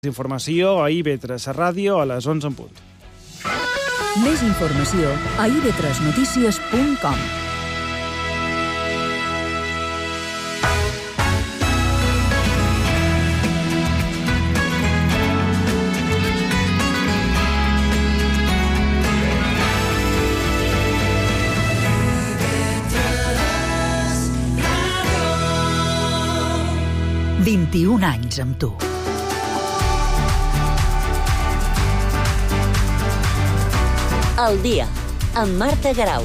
Informació a IB3 Ràdio a les 11 en punt. Més informació a ib3notícies.com. IB3 21 anys amb tu. El dia, amb Marta Garau.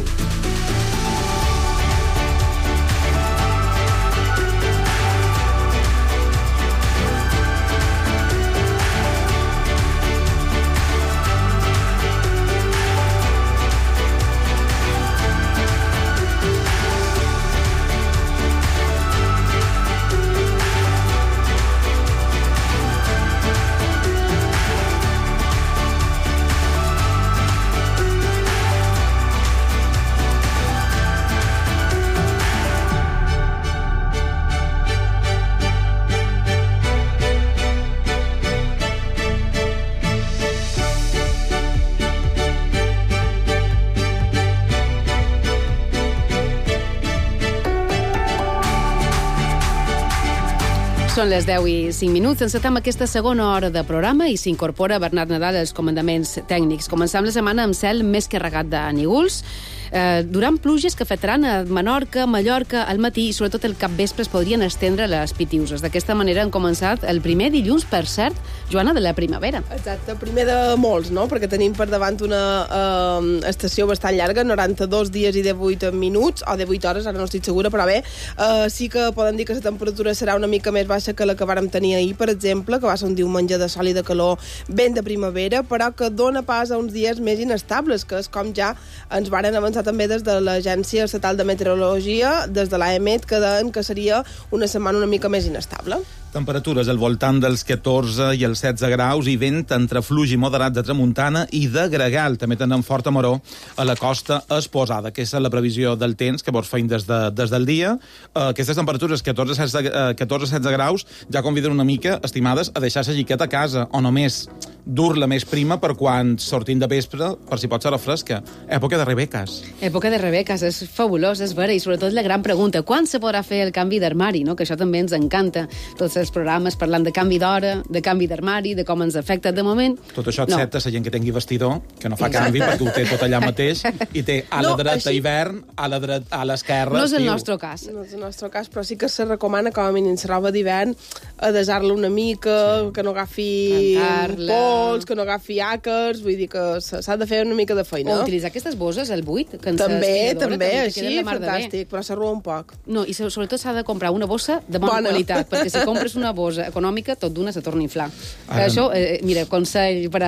Són les 10 i 5 minuts. Encetem aquesta segona hora de programa i s'incorpora Bernat Nadal als comandaments tècnics. Començam la setmana amb cel més que regat de nígols. Durant pluges que afectaran a Menorca, Mallorca, al matí i sobretot el capvespre es podrien estendre les pitiuses. D'aquesta manera han començat el primer dilluns, per cert, Joana, de la primavera. Exacte, primer de molts, no? Perquè tenim per davant una estació bastant llarga, 92 dies i 18 minuts, o 18 hores, ara no estic segura, però bé, sí que poden dir que la temperatura serà una mica més baixa que la que vàrem tenir ahir, per exemple, que va ser un diumenge de sol i de calor ben de primavera, però que dona pas a uns dies més inestables, que és com ja ens varen avançar també des de l'Agència Estatal de Meteorologia, des de l'AEMET, que deien que seria una setmana una mica més inestable. Temperatures al voltant dels 14 i els 16 graus i vent entre fluix i moderat de tramuntana i de gregal. També tenen forta maror a la costa exposada. Aquesta és la previsió del temps que vos feim des del dia. Aquestes temperatures, 14-16 graus, ja conviden una mica, estimades, a deixar la jiqueta a casa, o només dur-la més prima per quan sortim de vespre, per si pot ser fresca. Època de rebeques. Època de rebeques, és fabulós, és vera, i sobretot la gran pregunta, quan se podrà fer el canvi d'armari, no? Que això també ens encanta. Tots els programes parlant de canvi d'hora, de canvi d'armari, de com ens afecta de moment. Tot això excepte la gent que tingui vestidor, que no fa canvi perquè ho té tot allà mateix, i té a la dreta hivern, a l'esquerra no és el estiu. nostre cas. No és el nostre cas, però sí que se recomana com a mínim la roba d'hivern a desar-la una mica, que no agafi pols, que no agafi àcars, vull dir que s'ha de fer una mica de feina. O utilitzar aquestes bosses al buit. També, així, fantàstic, però s'arrua un poc. No, i sobretot s'ha de comprar una bossa de bona qualitat, perquè si compres una bossa econòmica, tot d'una se torna a inflar. Això, mira, consell per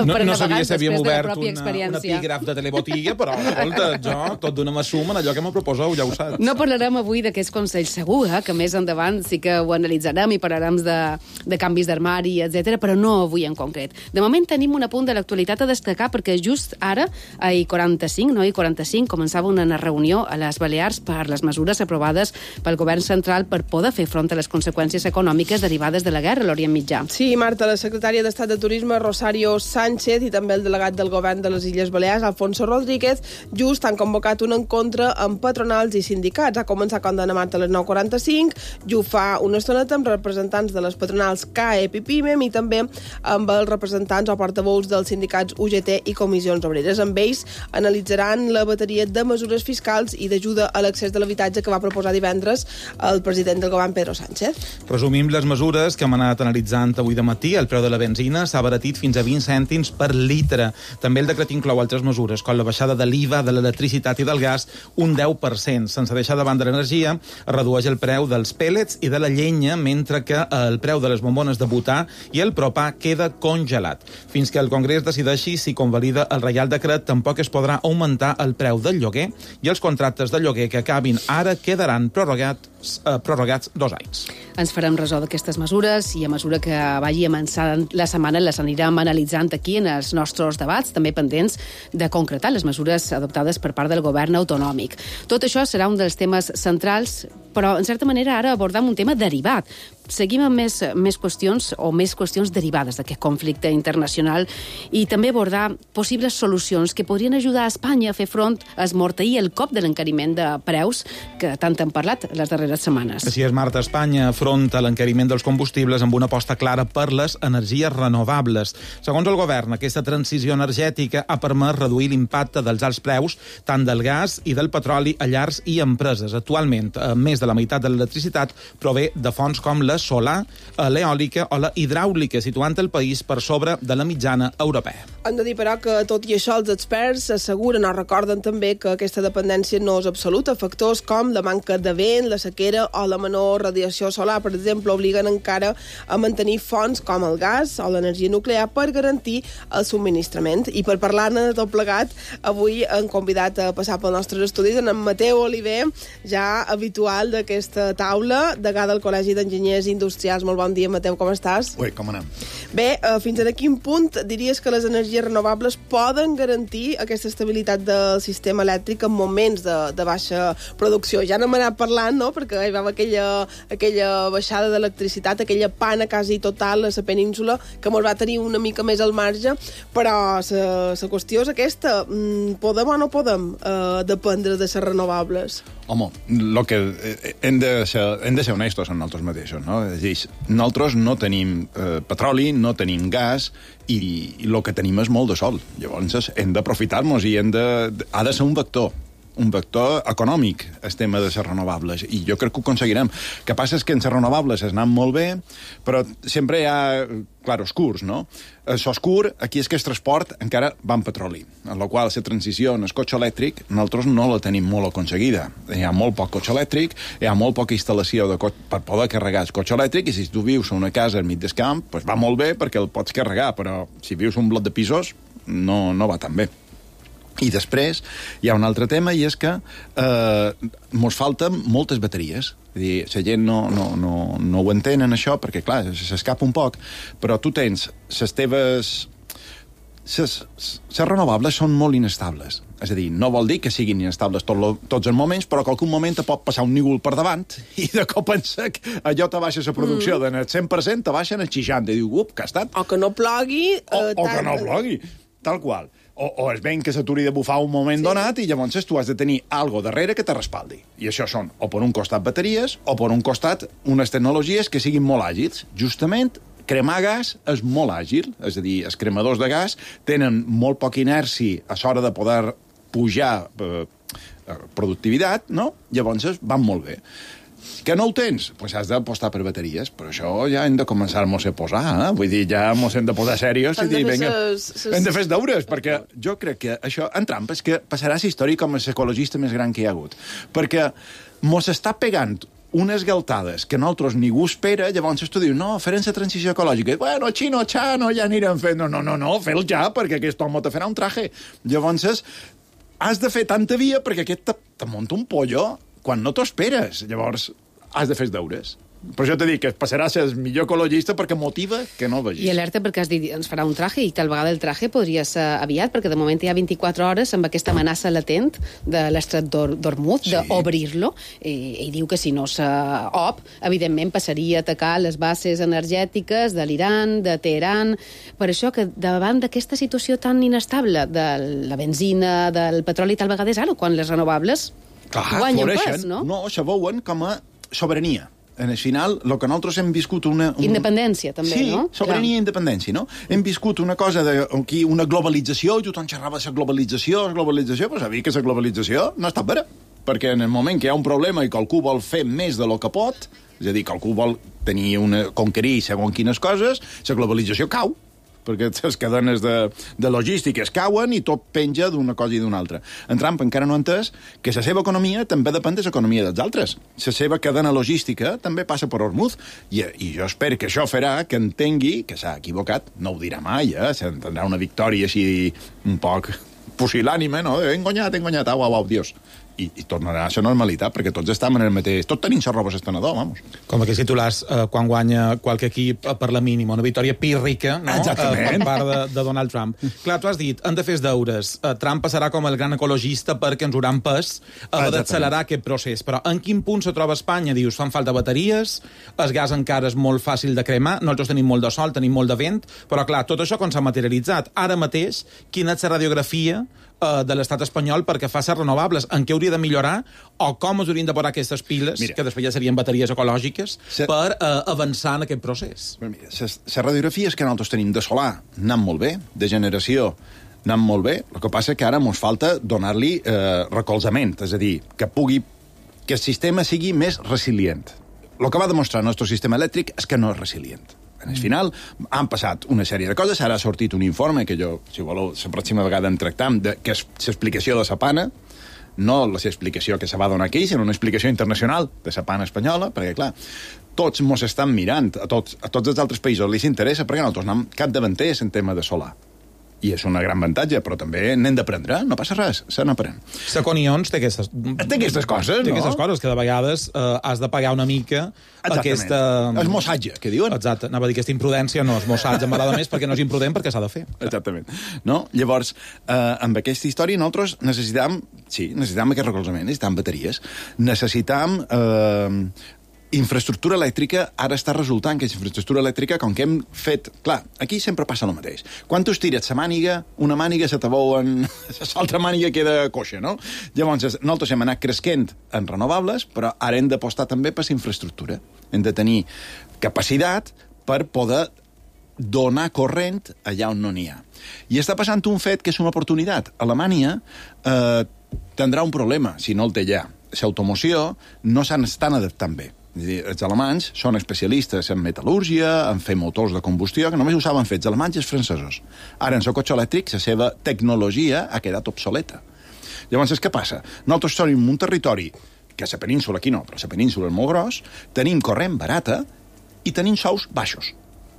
no sabia si havíem obert un epígraf de telebotiga, però, escolta, jo tot d'una m'assumo en allò que m'ho proposeu, ja ho saps. No parlarem avui d'aquests consells segur, que més endavant sí que ho analitzarem i parlarem de canvis d'armari, etc, però no avui en concret. De moment tenim un apunt de l'actualitat a destacar perquè just ara, a I45, començava una reunió a les Balears per les mesures aprovades pel govern central per poder fer front a les conseqüències econòmiques derivades de la guerra a l'Orient Mitjà. Sí, Marta, la secretària d'Estat de Turisme, Rosario Sánchez, i també el delegat del govern de les Illes Balears, Alfonso Rodríguez, just han convocat un encontre amb patronals i sindicats. Ha començat, com deia Marta, a les 9:45, i ho fa una estoneta amb representants de les patronals CAEP i PIMEM i també amb els representants o portaveus dels sindicats UGT i Comissions Obreres. Amb ells analitzaran la bateria de mesures fiscals i d'ajuda a l'accés de l'habitatge que va proposar divendres el president del govern, Pedro Sánchez. Resumim les mesures que hem anat analitzant avui de matí. El preu de la benzina s'ha abaratit fins a 20 cèntims per litre. També el decret inclou altres mesures, com la baixada de l'IVA, de l'electricitat i del gas, un 10%. Sense deixar de banda l'energia, es redueix el preu dels pèl·lets i de la llenya, mentre que el preu de les bombones de butà i el propà queda congelat. Fins que el Congrés decideixi si convalida el Reial Decret, tampoc es podrà augmentar el preu del lloguer i els contractes de lloguer que acabin ara quedaran prorrogats 2 anys. Ens farem ressò d'aquestes mesures i a mesura que vagi avançant la setmana les anirem analitzant aquí en els nostres debats, també pendents de concretar les mesures adoptades per part del govern autonòmic. Tot això serà un dels temes centrals però, en certa manera, ara abordam un tema derivat. Seguim amb més qüestions derivades d'aquest conflicte internacional i també abordar possibles solucions que podrien ajudar a Espanya a fer front a esmorteir el cop de l'encariment de preus que tant hem parlat les darreres setmanes. Així és, Marta. Espanya afronta l'encariment dels combustibles amb una aposta clara per les energies renovables. Segons el govern, aquesta transició energètica ha permès reduir l'impacte dels alts preus tant del gas i del petroli a llars i empreses. Actualment, més de la meitat de l'electricitat prové de fonts com la solar, l'eòlica o la hidràulica, situant el país per sobre de la mitjana europea. Hem de dir, però, que tot i això els experts asseguren o recorden també que aquesta dependència no és absoluta. Factors com la manca de vent, la sequera o la menor radiació solar, per exemple, obliguen encara a mantenir fonts com el gas o l'energia nuclear per garantir el subministrament. I per parlar-ne de tot plegat, avui hem convidat a passar pels nostres estudis en Mateu Oliver, ja habitual d'aquesta taula, degà del Col·legi d'Enginyers Industrials. Molt bon dia, Mateu, com estàs? Ui, com anem? Bé, fins a quin punt diries que les energies renovables poden garantir aquesta estabilitat del sistema elèctric en moments de baixa producció? Ja n'hem anat parlant, no?, perquè hi va aquella baixada d'electricitat, aquella pana quasi total a la península, que ens va tenir una mica més al marge, però la qüestió és aquesta. Podem o no podem dependre de les renovables? Home, el que hem de ser honestos amb nosaltres mateixos, no? És a dir, nosaltres no tenim petroli, no tenim gas, i el que tenim és molt de sol. Llavors hem d'aprofitar-nos i ha de ser un vector econòmic, el tema de les renovables, i jo crec que ho aconseguirem. El que passa és que en les renovables es anant molt bé, però sempre hi ha claroscurs, no? L'oscur, aquí és que el transport encara va en petroli, en la qual la transició en el cotxe elèctric nosaltres no la tenim molt aconseguida. Hi ha molt poc cotxe elèctric, hi ha molt poca instal·lació per poder carregar el cotxe elèctric, i si tu vius a una casa al mig del camp, doncs va molt bé perquè el pots carregar, però si vius un bloc de pisos no va tan bé. I després hi ha un altre tema, i és que mos falten moltes bateries. És a dir, la gent no ho entenen, això, perquè, clar, s'escapa un poc, però tu tens les teves... Les renovables són molt inestables. És a dir, no vol dir que siguin inestables tots els moments, però que algun moment te pot passar un nígol per davant i de cop en sec allò te baixa la producció del 100%, te baixen el 60%, i diu, que ha estat... O que no plogui... O que no plogui, tal qual. O és ben que s'aturi de bufar un moment donat, i llavors tu has de tenir algo darrere que te respaldi. I això són, o per un costat bateries, o per un costat unes tecnologies que siguin molt àgils. Justament, cremar gas és molt àgil, és a dir, els cremadors de gas tenen molt poca inèrcia a l'hora de poder pujar productivitat, no? Llavors van molt bé. Que no ho tens? Doncs has d'apostar per bateries, però això ja hem de començar-nos a posar, Vull dir, ja ens hem de posar serios i dir, vinga, hem de fer els deures, perquè jo crec que això, en Trump, és que passarà la història com a l'ecologista més gran que hi ha hagut, perquè mos està pegant unes galtades que nosaltres ningú espera, llavors tu dius, no, farem la transició ecològica. Bueno, xino, ja anirem fent. No, fes-lo ja, perquè aquest home te farà un traje. Llavors, has de fer tanta via perquè aquest te munta un pollo quan no t'ho esperes. Llavors, has de fer els deures. Per això t'he dit que passarà a ser el millor ecologista perquè motiva que no el vegis. I alerta perquè has dit, ens farà un traje, i tal vegada el traje podria ser aviat, perquè de moment hi ha 24 hores amb aquesta amenaça latent de l'estret d'Hormuz, d'obrir-lo, i diu que si no s'op, evidentment passaria a atacar les bases energètiques de l'Iran, de Teheran. Per això que davant d'aquesta situació tan inestable de la benzina, del petroli, tal vegada és ara quan les renovables guanyen pes, no? No, se veuen com a sobirania. En el final, el que nosaltres hem viscut Independència, també, no? Sí, sobirania i independència, no? Hem viscut una cosa aquí, una globalització, i tothom xerrava de la globalització, però sabia que la globalització no està vera, perquè en el moment que hi ha un problema i que algú vol fer més de lo que pot, és a dir, que algú vol conquerir segons quines coses, la globalització cau, perquè les cadenes de logístiques cauen i tot penja d'una cosa i d'una altra. En Trump encara no ha entès que la seva economia també depèn de l'economia dels altres. La seva cadena logística també passa per Hormuz, i jo espero que això farà que entengui que s'ha equivocat. No ho dirà mai, tindrà una victòria així un poc pusil·lànime, no? He engonyat, au, Dios. i tornarà a la normalitat, perquè tots estem en el mateix... Tots tenim la roba s'estenedor, vamos. Com aquells titulars quan guanya qualque equip per la mínima, una victòria pírrica, no? Per part de Donald Trump. Clar, tu has dit, han de fer els deures. Trump passarà com el gran ecologista perquè ens hauran pes d'accelerar aquest procés. Però en quin punt se troba Espanya? Dius, fan falta bateries, el gas encara és molt fàcil de cremar, nosaltres tenim molt de sol, tenim molt de vent, però clar, tot això com s'ha materialitzat. Ara mateix, quina és la radiografia de l'estat espanyol perquè fa ser renovables, en què hauria de millorar o com es haurien de posar aquestes piles, que després ja serien bateries ecològiques, per avançar en aquest procés. La radiografia és que nosaltres tenim de solar, anant molt bé, de generació, anant molt bé, el que passa és que ara ens falta donar-li recolzament, és a dir, que el sistema sigui més resilient. El que va demostrar el nostre sistema elèctric és que no és resilient. En el final han passat una sèrie de coses, ara ha sortit un informe que jo, si voleu, la pròxima vegada en tractam, que és l'explicació de la pana, no l'explicació que se va donar aquí, sinó una explicació internacional de la pana espanyola, perquè, clar, tots mos estan mirant, a tots els altres països li s'interessa, perquè nosaltres anem capdavanters en tema de solar. I és una gran avantatge, però també n'hem d'aprendre, no passa res, se n'aprèn. Seconions té aquestes coses, no? Té aquestes coses, que de vegades has de pagar una mica aquesta... És mossatge, que diuen. Exacte, anava a dir aquesta imprudència, no, és mossatge, m'agrada més perquè no és imprudent, perquè s'ha de fer. Exactament. No? Llavors, amb aquesta història nosaltres necessitam aquest recolzament, necessitam bateries, necessitam... infraestructura elèctrica, ara està resultant que és infraestructura elèctrica, com que hem fet... Clar, aquí sempre passa el mateix. Quan tu estires la màniga, una màniga se te veu en... L'altra màniga queda coixa, no? Llavors, nosaltres hem anat cresquent en renovables, però ara hem d'apostar també per la infraestructura. Hem de tenir capacitat per poder donar corrent allà on no n'hi ha. I està passant un fet que és una oportunitat. Alemanya tindrà un problema, si no el té ja. L'automoció no s'estan adaptant bé. És dir, els alemanys són especialistes en metal·lúrgia, en fer motors de combustió, que només ho saben fer els alemanys i els francesos. Ara, en el cotxe elèctric, la seva tecnologia ha quedat obsoleta. Llavors, què passa? Nosaltres som en un territori, que a la península aquí no, però a la península és molt gros, tenim corrent barata i tenim sous baixos.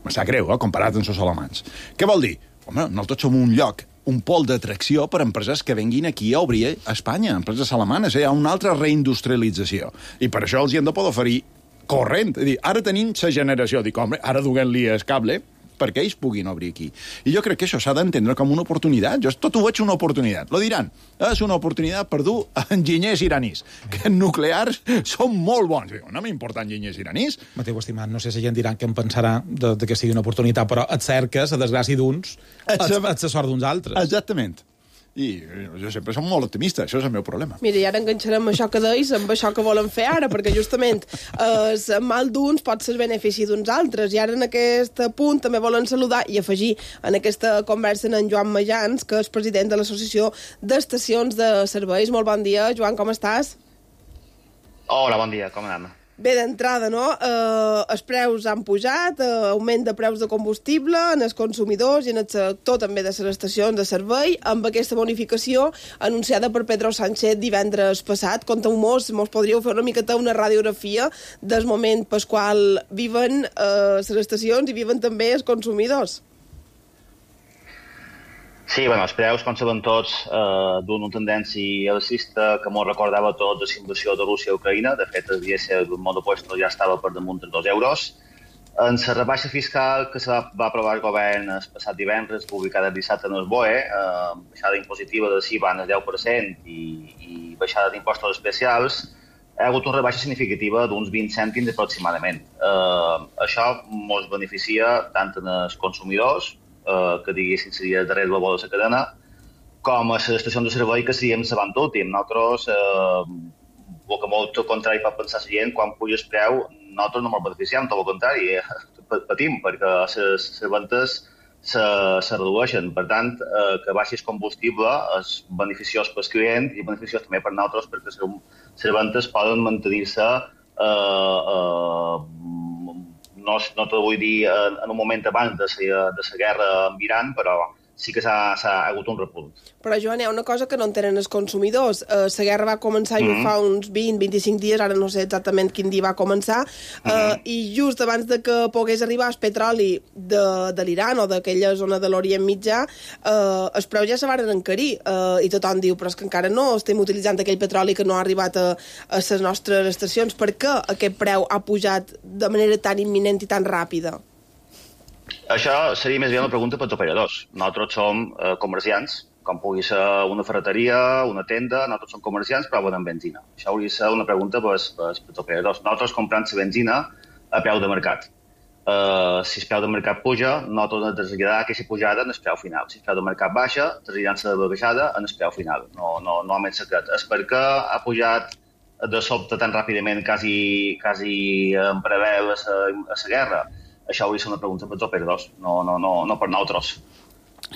Me sap greu, comparat amb els alemanys. Què vol dir? Home, nosaltres som un lloc, un pol d'atracció per empreses que venguin aquí a obrir a Espanya, empreses alemanes. Hi ha una altra reindustrialització. I per això els hi hem de poder oferir corrent. És dir, ara tenim la generació. Dic, home, ara duguem-li el cable perquè ells puguin obrir aquí. I jo crec que això s'ha d'entendre com una oportunitat. Jo tot ho veig una oportunitat. Lo diran, és una oportunitat per dur enginyers iranis, que nuclears són molt bons. Diu, no m'importa enginyers iranis. Mateu, estimat, no sé si gent dirà que em pensarà de que sigui una oportunitat, però et cerques, a desgràcia d'uns, et la sort d'uns altres. Exactament. I jo sempre som molt optimista, això és el meu problema. Mira, i ara enganxarem això que deis amb això que volen fer ara, perquè justament el mal d'uns pot ser el benefici d'uns altres, i ara en aquest punt també volen saludar i afegir en aquesta conversa en Joan Majans, que és president de l'Associació d'Estacions de Serveis. Molt bon dia, Joan, com estàs? Hola, bon dia, com anem? Bé, d'entrada, no? Els preus han pujat, augment de preus de combustible en els consumidors i en el sector també de les estacions de servei, amb aquesta bonificació anunciada per Pedro Sánchez divendres passat. Conteu-mos, mos podríeu fer una miqueta una radiografia del moment pel qual viven les estacions i viven també els consumidors. Sí, bueno, els preus, com sabem tots, d'una tendència alcista que ens recordava tots la invasió de Rússia a Ucraïna. De fet, el dièsel del monopuesto ja estava per damunt dels 2 euros. En la rebaixa fiscal que se va aprovar el govern el passat divendres, publicada el dissabte en el BOE, baixada impositiva de CIVA en el 10% i baixada d'impostos especials, hi ha hagut una rebaixa significativa d'uns 20 cèntims aproximadament. Això ens beneficia tant en els consumidors, que diguéssim seria darrere la bola de la cadena, com a les estacions de servei que seríem l'avant últim. Nosaltres, el que molt contrari pot pensar la gent, quan puja el preu, nosaltres no ens beneficiem, tot el contrari, patim, perquè les ventes se redueixen. Per tant, que baixi el combustible és beneficiós pels clients i beneficiós també per nosaltres, perquè les ventes poden mantenir-se no te vull dir en un moment abans de la guerra amb Iran, però sí que s'ha hagut un repunt. Però, Joan, hi ha una cosa que no entenen els consumidors. La guerra va començar fa uns 20-25 dies, ara no sé exactament quin dia va començar, i just abans de que pogués arribar el petroli de l'Iran o d'aquella zona de l'Orient Mitjà, els preus ja se van encarir, i tothom diu, però és que encara no estem utilitzant aquell petroli que no ha arribat a les nostres estacions. Per què aquest preu ha pujat de manera tan imminent i tan ràpida? Això seria més bé una pregunta pels operadors. Nosaltres som comerciants, com pugui ser una ferreteria, una tenda, nosaltres som comerciants, però venen benzina. Això hauria de ser una pregunta pels operadors. Nosaltres comprem la benzina a preu de mercat. Si el preu de mercat puja, nosaltres hem de traslladar aquesta pujada en el preu final. Si el preu de mercat baixa, traslladant la baixada en el preu final. No ha més secret. És perquè ha pujat de sobte tan ràpidament, quasi en preveu a la guerra. Això hauria de ser una pregunta pels operadors, no per nosaltres.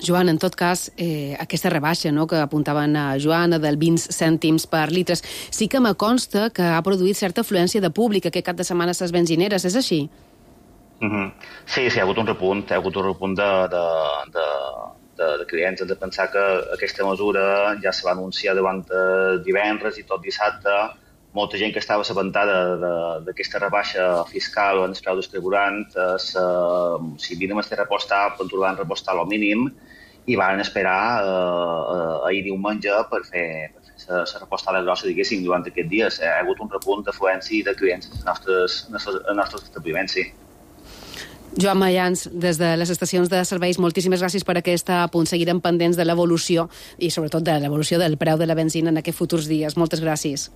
Joan, en tot cas, aquesta rebaixa que apuntaven a Joana del 20 cèntims per litres, sí que me consta que ha produït certa afluència de públic aquest cap de setmana a les benzineres, és així? Sí, hi ha hagut un repunt, de clients. Hem de pensar que aquesta mesura ja se va anunciar davant divendres i tot dissabte. Molta gent que estava assabentada d'aquesta rebaixa fiscal en el preu del carburant, si vinem a repostar, van repostar al mínim i van esperar ahir diumenge per fer la repostada grossa, diguéssim, durant aquests dies. Ha hagut un repunt d'afluència de clients als nostres establiments, sí. Joan Mayans, des de les estacions de serveis, moltíssimes gràcies per aquest apunt. Seguirem pendents de l'evolució i sobretot de l'evolució del preu de la benzina en aquests futurs dies. Moltes gràcies.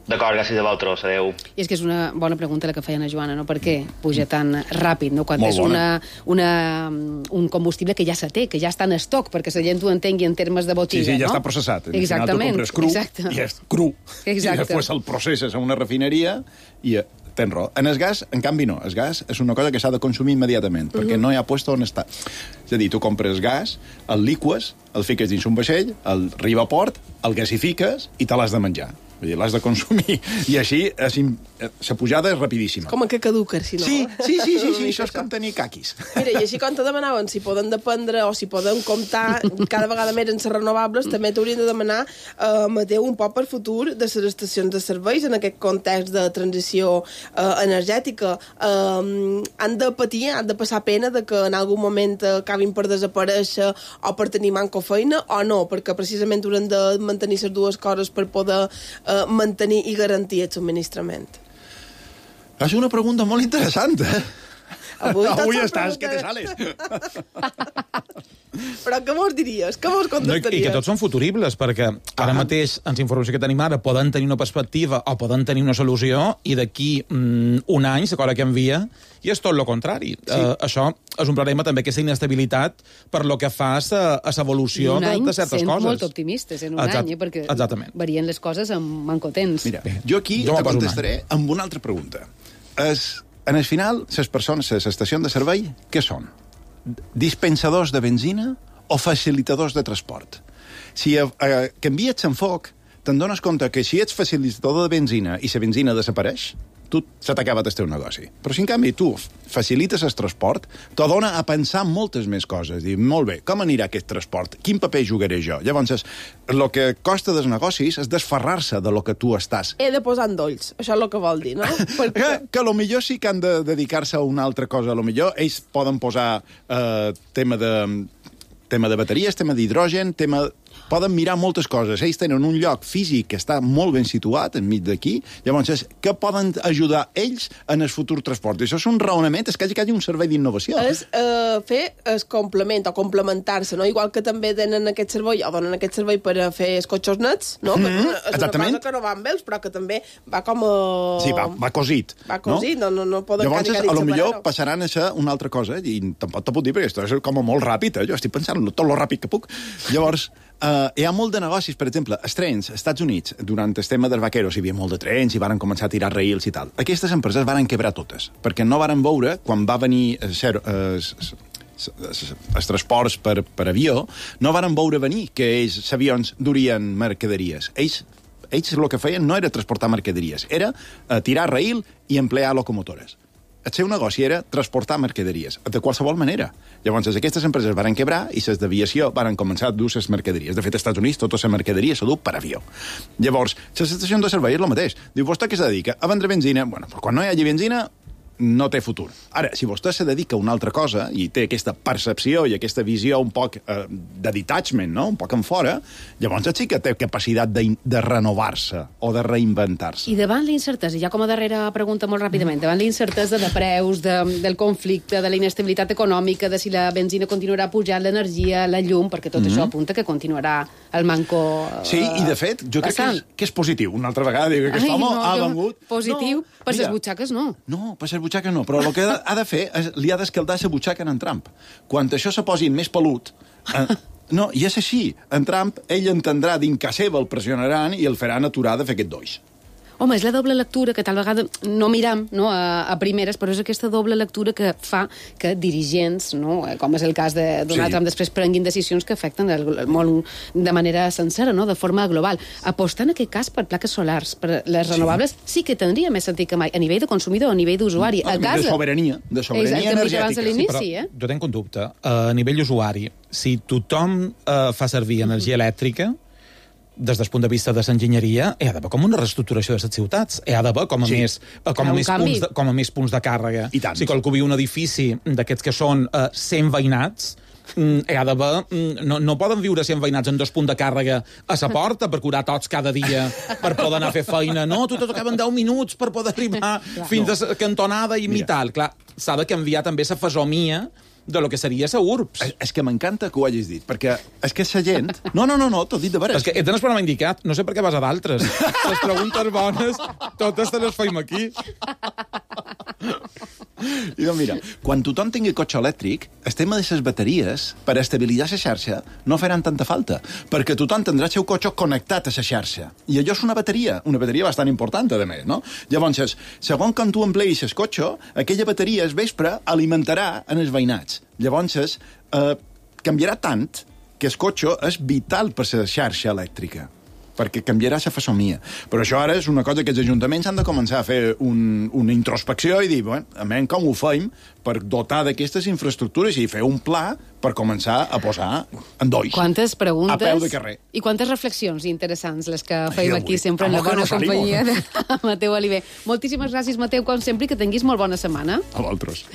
D'acord, gràcies a vosaltres, adeu. I és que és una bona pregunta la que feien a Joana, no? Per què puja tan ràpid, no? Quan Molt és un combustible que ja se té, que ja està en estoc, perquè la gent ho entengui en termes de botiga, sí, ja no? està processat. Exactament. Al final tu compres cru, i és cru. Exacte. I després el processes a una refineria i tens raó. En el gas, en canvi, no. El gas és una cosa que s'ha de consumir immediatament, perquè no hi ha puesto on està. És a dir, tu compres gas, el liques, el fiques dins un vaixell, el arriba a port, el gasifiques i te l'has de menjar. Vull dir, l'has de consumir. I així, la pujada és rapidíssima. Com que caduca, si no? Sí, això és com tenir caquis. Mira, i així com te demanaven si poden dependre o si poden comptar cada vegada més en les renovables, també t'haurien de demanar, Mateu, un poc per futur de les estacions de serveis en aquest context de transició energètica. Han de patir, han de passar pena de que en algun moment acabin per desaparèixer o per tenir manco feina o no, perquè precisament hauran de mantenir les dues coses per poder mantenir i garantir el subministrament. És una pregunta molt interessant, Avui estàs, que te sales. Però què mos diries? Què mos contestaries? I que tots són futuribles, perquè ara mateix, en la informació que tenim ara, poden tenir una perspectiva o poden tenir una solució, i d'aquí un any, la cosa canvia, i és tot el contrari. Sí. Això és un problema també, aquesta inestabilitat per lo que fa a l'evolució de certes coses. Sent molt optimistes en un any, perquè varien les coses amb mancotents. Mira, jo aquí te contestaré amb una altra pregunta. En el final, les persones, les estacions de servei, què són? Dispensadors de benzina o facilitadors de transport? Si canvies l'enfoc, te'n dones compte que si ets facilitador de benzina i la benzina desapareix, se t'acaba el teu negoci. Però si en canvi tu facilites el transport, te dona a pensar moltes més coses. Dir, molt bé, com anirà aquest transport? Quin paper jugaré jo? Llavors, el que costa dels negocis és desferrar-se de lo que tu estàs. He de posar endolls, això és el que vol dir, no? Que a lo millor sí que han de dedicar-se a una altra cosa. A lo millor ells poden posar tema de bateries, tema d'hidrogen, poden mirar moltes coses. Ells tenen un lloc físic que està molt ben situat, enmig d'aquí. Llavors, què poden ajudar ells en el futur transport? I això és un raonament, és que hi hagi un servei d'innovació. És fer el complement o complementar-se, no? Igual que també tenen aquest servei, o donen aquest servei per a fer els cotxes nets, no? És una cosa que no va amb ells, però que també va com a... Sí, va cosit. Va cosit, no poden llavors, a lo millor passaran a ser una altra cosa, i tampoc te puc dir, perquè això és com molt ràpid, jo estic pensant tot lo ràpid que puc. Llavors, hi ha molt de negocis, per exemple, els trens, als Estats Units, durant el tema dels vaqueros, hi havia molt de trens i van començar a tirar raïls i tal. Aquestes empreses van quebrar totes, perquè no van veure, quan va venir els transports per avió, no van veure venir que els avions durien mercaderies. Ells el que feien no era transportar mercaderies, era tirar raïl i emplear locomotores. el seu negoci era transportar mercaderies, de qualsevol manera. Llavors, aquestes empreses van quebrar i les d'aviació van començar a dur les mercaderies. De fet, als Estats Units tota la mercaderia s'ha dut per avió. Llavors, les estacions de servei és el mateix. Diu, vostè què se dedica? A vendre benzina? Bueno, però quan no hi hagi benzina, no té futur. Ara, si vostè se dedica a una altra cosa i té aquesta percepció i aquesta visió un poc de detachment, no? Un poc en fora, llavors sí que té capacitat de renovar-se o de reinventar-se. I davant l'incertesa, ja com a darrera pregunta molt ràpidament, davant l'incertesa de preus, del conflicte, de la inestabilitat econòmica, de si la benzina continuarà pujant, l'energia, la llum, perquè tot això apunta que continuarà el manco Sí, i de fet, jo crec que és positiu. Una altra vegada dic que aquest home ha vengut... Positiu? Per les butxaques no. No, per les butxaques no, però el que ha de fer és li ha d'escaldar la butxaca en Trump. Quan això se posi més pelut... No, i és així. En Trump, ell entendrà dins que seva el pressionaran i el faran aturar de fer aquest doix. Home, és la doble lectura que tal vegada no miram a primeres, però és aquesta doble lectura que fa que dirigents, no, com és el cas de Donald Trump, després prenguin decisions que afecten el món de manera sencera, no, de forma global. Apostar en aquest cas per plaques solars, per les renovables, sí que tindria més sentit que mai, a nivell de consumidor, a nivell d'usuari. De sobirania energètica. L'inici, jo tenc un dubte. A nivell usuari, si tothom fa servir energia elèctrica, des del punt de vista de l'enginyeria, hi ha d'haver com una reestructuració de les ciutats. Hi ha d'haver com a més punts de càrrega. Si qualcú viu un edifici d'aquests que són 100 veïnats, hi ha d'haver... No poden viure 100 veïnats en 2 punts de càrrega a la porta per curar tots cada dia per poder anar a fer feina. No, tots acaben 10 minuts per poder arribar fins a la cantonada i tal. Clar, s'ha de canviar també la fesomia de lo que seria la URBS. És que m'encanta que ho hagis dit, perquè és que la gent... No, t'ho dit de veres. És que tens el programa indicat, no sé per què vas a d'altres. Les preguntes bones, totes te les feim aquí. I doncs mira, quan tothom tingui cotxe elèctric, el tema de les bateries, per estabilitzar la xarxa, no faran tanta falta, perquè tothom tindrà el seu cotxe connectat a la xarxa. I allò és una bateria bastant important, a més, no? Llavors, segons quan tu empleis el cotxe, aquella bateria al vespre alimentarà en els veïnats. Llavors, canviarà tant que el cotxe és vital per la xarxa elèctrica, perquè canviarà la fesomia. Però això ara és una cosa que els ajuntaments han de començar a fer una introspecció i dir, bueno, com ho fem per dotar d'aquestes infraestructures i fer un pla per començar a posar en dois. Quantes preguntes a peu de carrer. I quantes reflexions interessants les que feim aquí sempre en la bona companyia de Mateu Oliver. Moltíssimes gràcies, Mateu, com sempre, i que tinguis molt bona setmana. A vosaltres.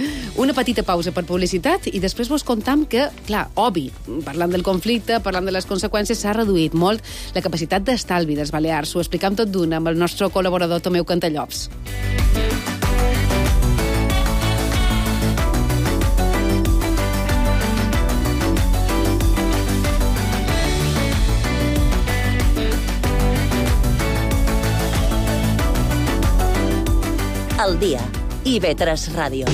Una petita pausa per publicitat i després vos contam que, clar, obvi, parlant del conflicte, parlant de les conseqüències, s'ha reduït molt la capacitat d'estalvi dels Balears. Ho explicam tot d'una amb el nostre col·laborador Tomeu Cantallops. Al dia. IB3 Ràdio.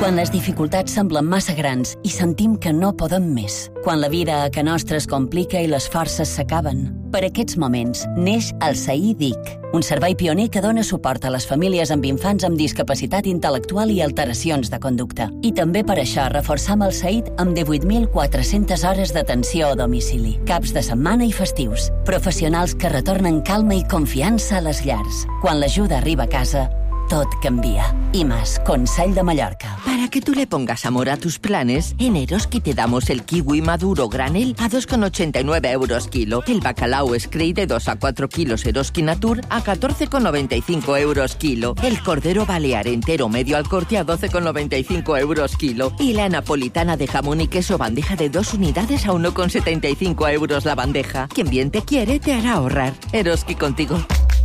Quan les dificultats semblen massa grans i sentim que no podem més. Quan la vida a ca nostra es complica i les forces s'acaben. Per aquests moments neix el SAI DIC, un servei pioner que dona suport a les famílies amb infants amb discapacitat intel·lectual i alteracions de conducta. I també per això reforçam el SAID amb 18.400 hores d'atenció a domicili, caps de setmana i festius. Professionals que retornen calma i confiança a les llars. Quan l'ajuda arriba a casa, tot cambia. IMAS, Consell de Mallorca. Para que tú le pongas amor a tus planes, en Eroski te damos el kiwi maduro granel a 2,89 euros kilo, el bacalao Scray de 2 a 4 kilos Eroski Natur a 14,95 euros kilo, el cordero balear entero medio al corte a 12,95 euros kilo y la napolitana de jamón y queso bandeja de 2 unidades a 1,75 euros la bandeja. Quien bien te quiere te hará ahorrar. Eroski contigo.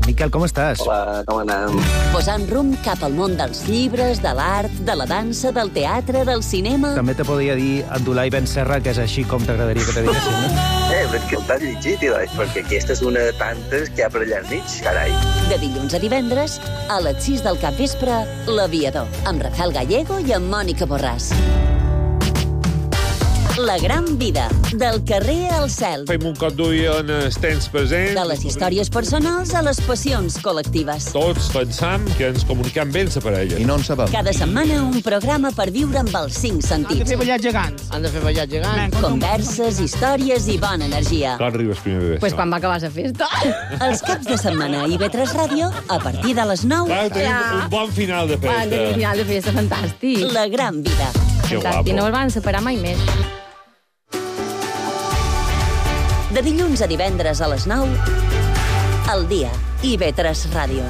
Miquel, com estàs? Hola, com anem? Posant rumb cap al món dels llibres, de l'art, de la dansa, del teatre, del cinema... També te podria dir Abdulai Ben Serra, que és així com t'agradaria que te diguessin, no? Però que t'has llegit, perquè aquesta és una de tantes que hi ha per allà al mig, carai. De dilluns a divendres, a les 6 del capvespre, L'Aviador, amb Rafael Gallego i amb Mònica Borràs. La gran vida, del carrer al cel. Fem un cop d'ull en els temps presents. De les històries personals a les passions col·lectives. Tots pensam que ens comunicam bé amb la parella. I no en sabem. Cada setmana un programa per viure amb els 5 sentits. Han de fer ballar gegants. Han de fer ballar gegants. Converses, històries i bona energia. Quan arribes primer de Pues quan va acabar la festa. Els caps de setmana a IB3 Ràdio, a partir de les 9. Clar, tenim un bon final de festa. Un final de festa fantàstic. La gran vida. Que Fantàstic, guapo. no el van separar mai més. De dilluns a divendres a les 9, al dia, IB3 Ràdio.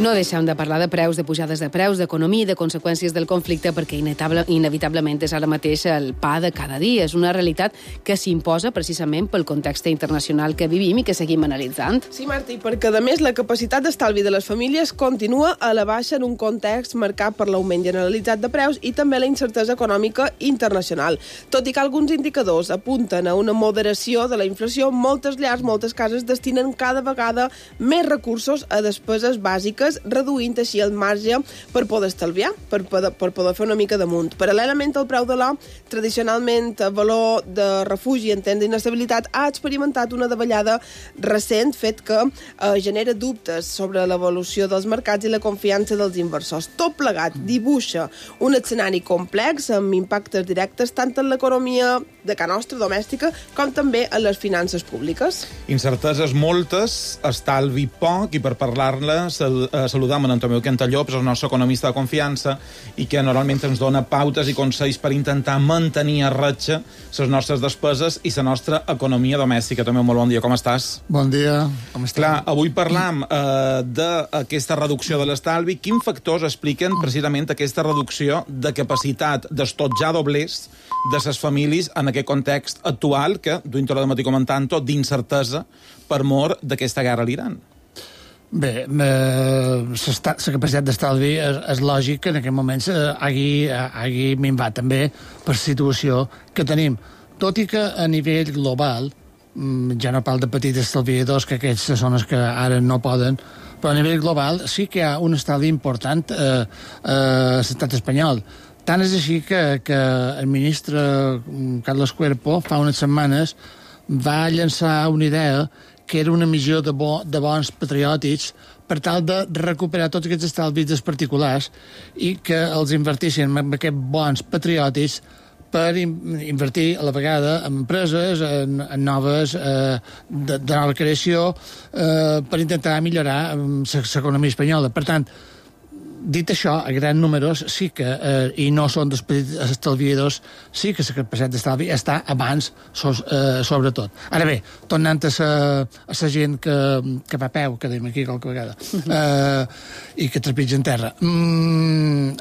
No deixem de parlar de preus, de pujades de preus, d'economia i de conseqüències del conflicte, perquè inevitablement és ara mateix el pa de cada dia. És una realitat que s'imposa precisament pel context internacional que vivim i que seguim analitzant. Sí, Martí, perquè a més la capacitat d'estalvi de les famílies continua a la baixa en un context marcat per l'augment generalitzat de preus i també la incertesa econòmica internacional. Tot i que alguns indicadors apunten a una moderació de la inflació, moltes llars, moltes cases destinen cada vegada més recursos a despeses bàsiques, reduint així el marge per poder estalviar, per poder fer una mica damunt. Paral·lelament al preu de l'or, tradicionalment valor de refugi en temps d'inestabilitat, ha experimentat una davallada recent, fet que genera dubtes sobre l'evolució dels mercats i la confiança dels inversors. Tot plegat dibuixa un escenari complex amb impactes directes tant en l'economia de casa nostra domèstica com també en les finances públiques. Incerteses moltes, estalvi poc, i per parlar-ne saludam en Antonio Quentalló, el nostre economista de confiança, i que normalment ens dona pautes i consells per intentar mantenir a ratxa les nostres despeses i la nostra economia domèstica. També molt bon dia, com estàs? Bon dia, com estàs? Clar, avui parlam d'aquesta reducció de l'estalvi. Quins factors expliquen precisament aquesta reducció de capacitat d'estotjar doblers de les famílies en aquest context actual que, dintre de matí comentant-ho, d'incertesa per mor d'aquesta guerra a l'Iran? Bé, la capacitat d'estalvi és lògic que en aquest moment hagi minvat també per la situació que tenim. Tot i que a nivell global, ja no parlo de petits estalviadors, que aquests són els que ara no poden, però a nivell global sí que hi ha un estalvi important a l'estat espanyol. Tant és així que el ministre Carlos Cuerpo fa unes setmanes va llançar una idea que era una emissió de bons patriòtics per tal de recuperar tots aquests estalvis dels particulars i que els invertissin en aquests bons patriòtics per invertir a la vegada en empreses, en noves, de nova creació, per intentar millorar l'economia espanyola. Per tant, dit això, a grans números sí que, i no són dels petits estalviadors, sí que la capacitat d'estalvi està abans, sobretot. Ara bé, tornant a la gent que va a peu, que dèiem aquí qualque vegada, i que trepitja en terra.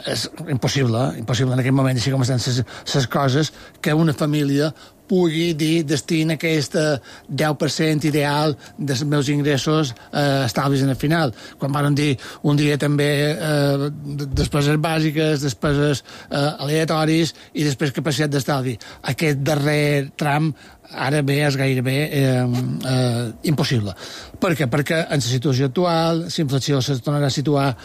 És impossible en aquest moment, així com estan les coses, que una família pugui dir destina aquest 10% ideal dels meus ingressos estalvis en el final. Quan van dir un dia també despeses bàsiques, despeses aleatoris i després capacitat d'estalvi. Aquest darrer tram ara bé és gairebé impossible. Per què? Perquè en la situació actual la inflació se tornarà a situar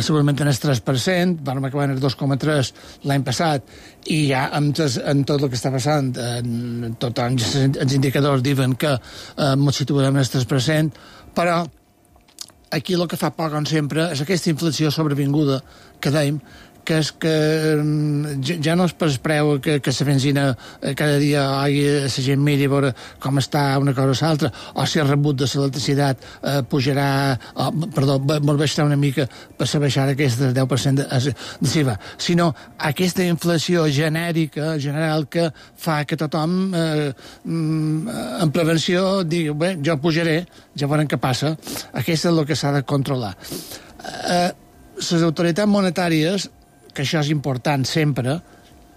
segurament en el 3%, vam acabar en el 2,3% l'any passat, i ja amb tot el que està passant tots els indicadors diuen que ens situarem en el 3%, però aquí el que fa por, com sempre, és aquesta inflació sobrevinguda que dèiem, que és que ja no és per preu que la benzina cada dia la gent miri a veure com està una cosa o l'altra, o si el rebut de l'electricitat pujarà, baixarà una mica per baixar aquest 10% de SIVA, sinó aquesta inflació genèrica, general, que fa que tothom en prevenció digui, bé, jo pujaré, ja veurem què passa. Aquest és el que s'ha de controlar. Les autoritats monetàries, que això és important sempre,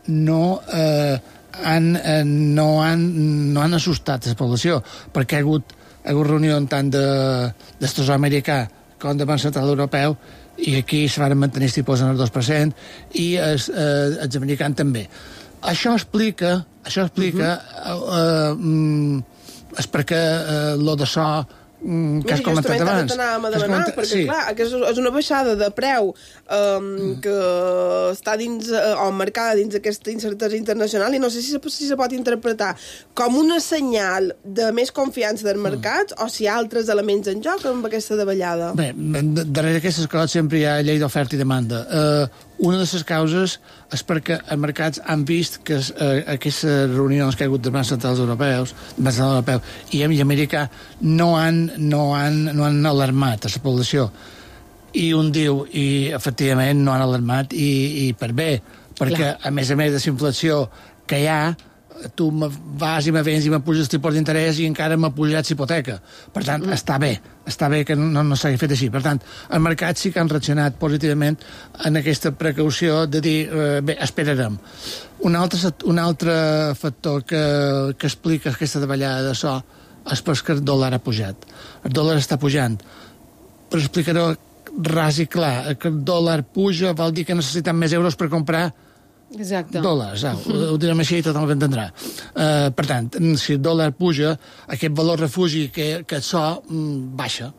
no han assustat la població, perquè ha hagut reunió tant del Tresor americà com del Banc Central Europeu, i aquí se van mantenir els tipus en el 2%, i els americans també. Això explica és perquè lo de so que has comentat abans. T'anàvem a demanar, perquè clar, és una baixada de preu que està dins o marcada dins aquesta incertesa internacional i no sé si se pot interpretar com una senyal de més confiança del mercat o si hi ha altres elements en joc amb aquesta davallada. Bé, darrere aquestes coses sempre hi ha llei d'oferta i demanda. Una de les causes és perquè els mercats han vist que aquestes reunions que hi ha hagut de bancs centrals europeus i americà no han alarmat a la població. I un diu, i efectivament no han alarmat i per bé, perquè a més de la inflació que hi ha, tu vas i me vens i m'apuges els tipus d'interès i encara m'ha pujat l'hipoteca. Per tant, està bé que no s'hagi fet així. Per tant, els mercats sí que han reaccionat positivament en aquesta precaució de dir, bé, esperarem. Un altre factor que explica aquesta davallada de so és perquè el dòlar ha pujat. El dòlar està pujant. Per explicar-ho ras i clar, que el dòlar puja vol dir que necessitem més euros per comprar dòlars, ho direm així i tothom ho entendrà. Per tant, si el dòlar puja, aquest valor refugi que el so baixa.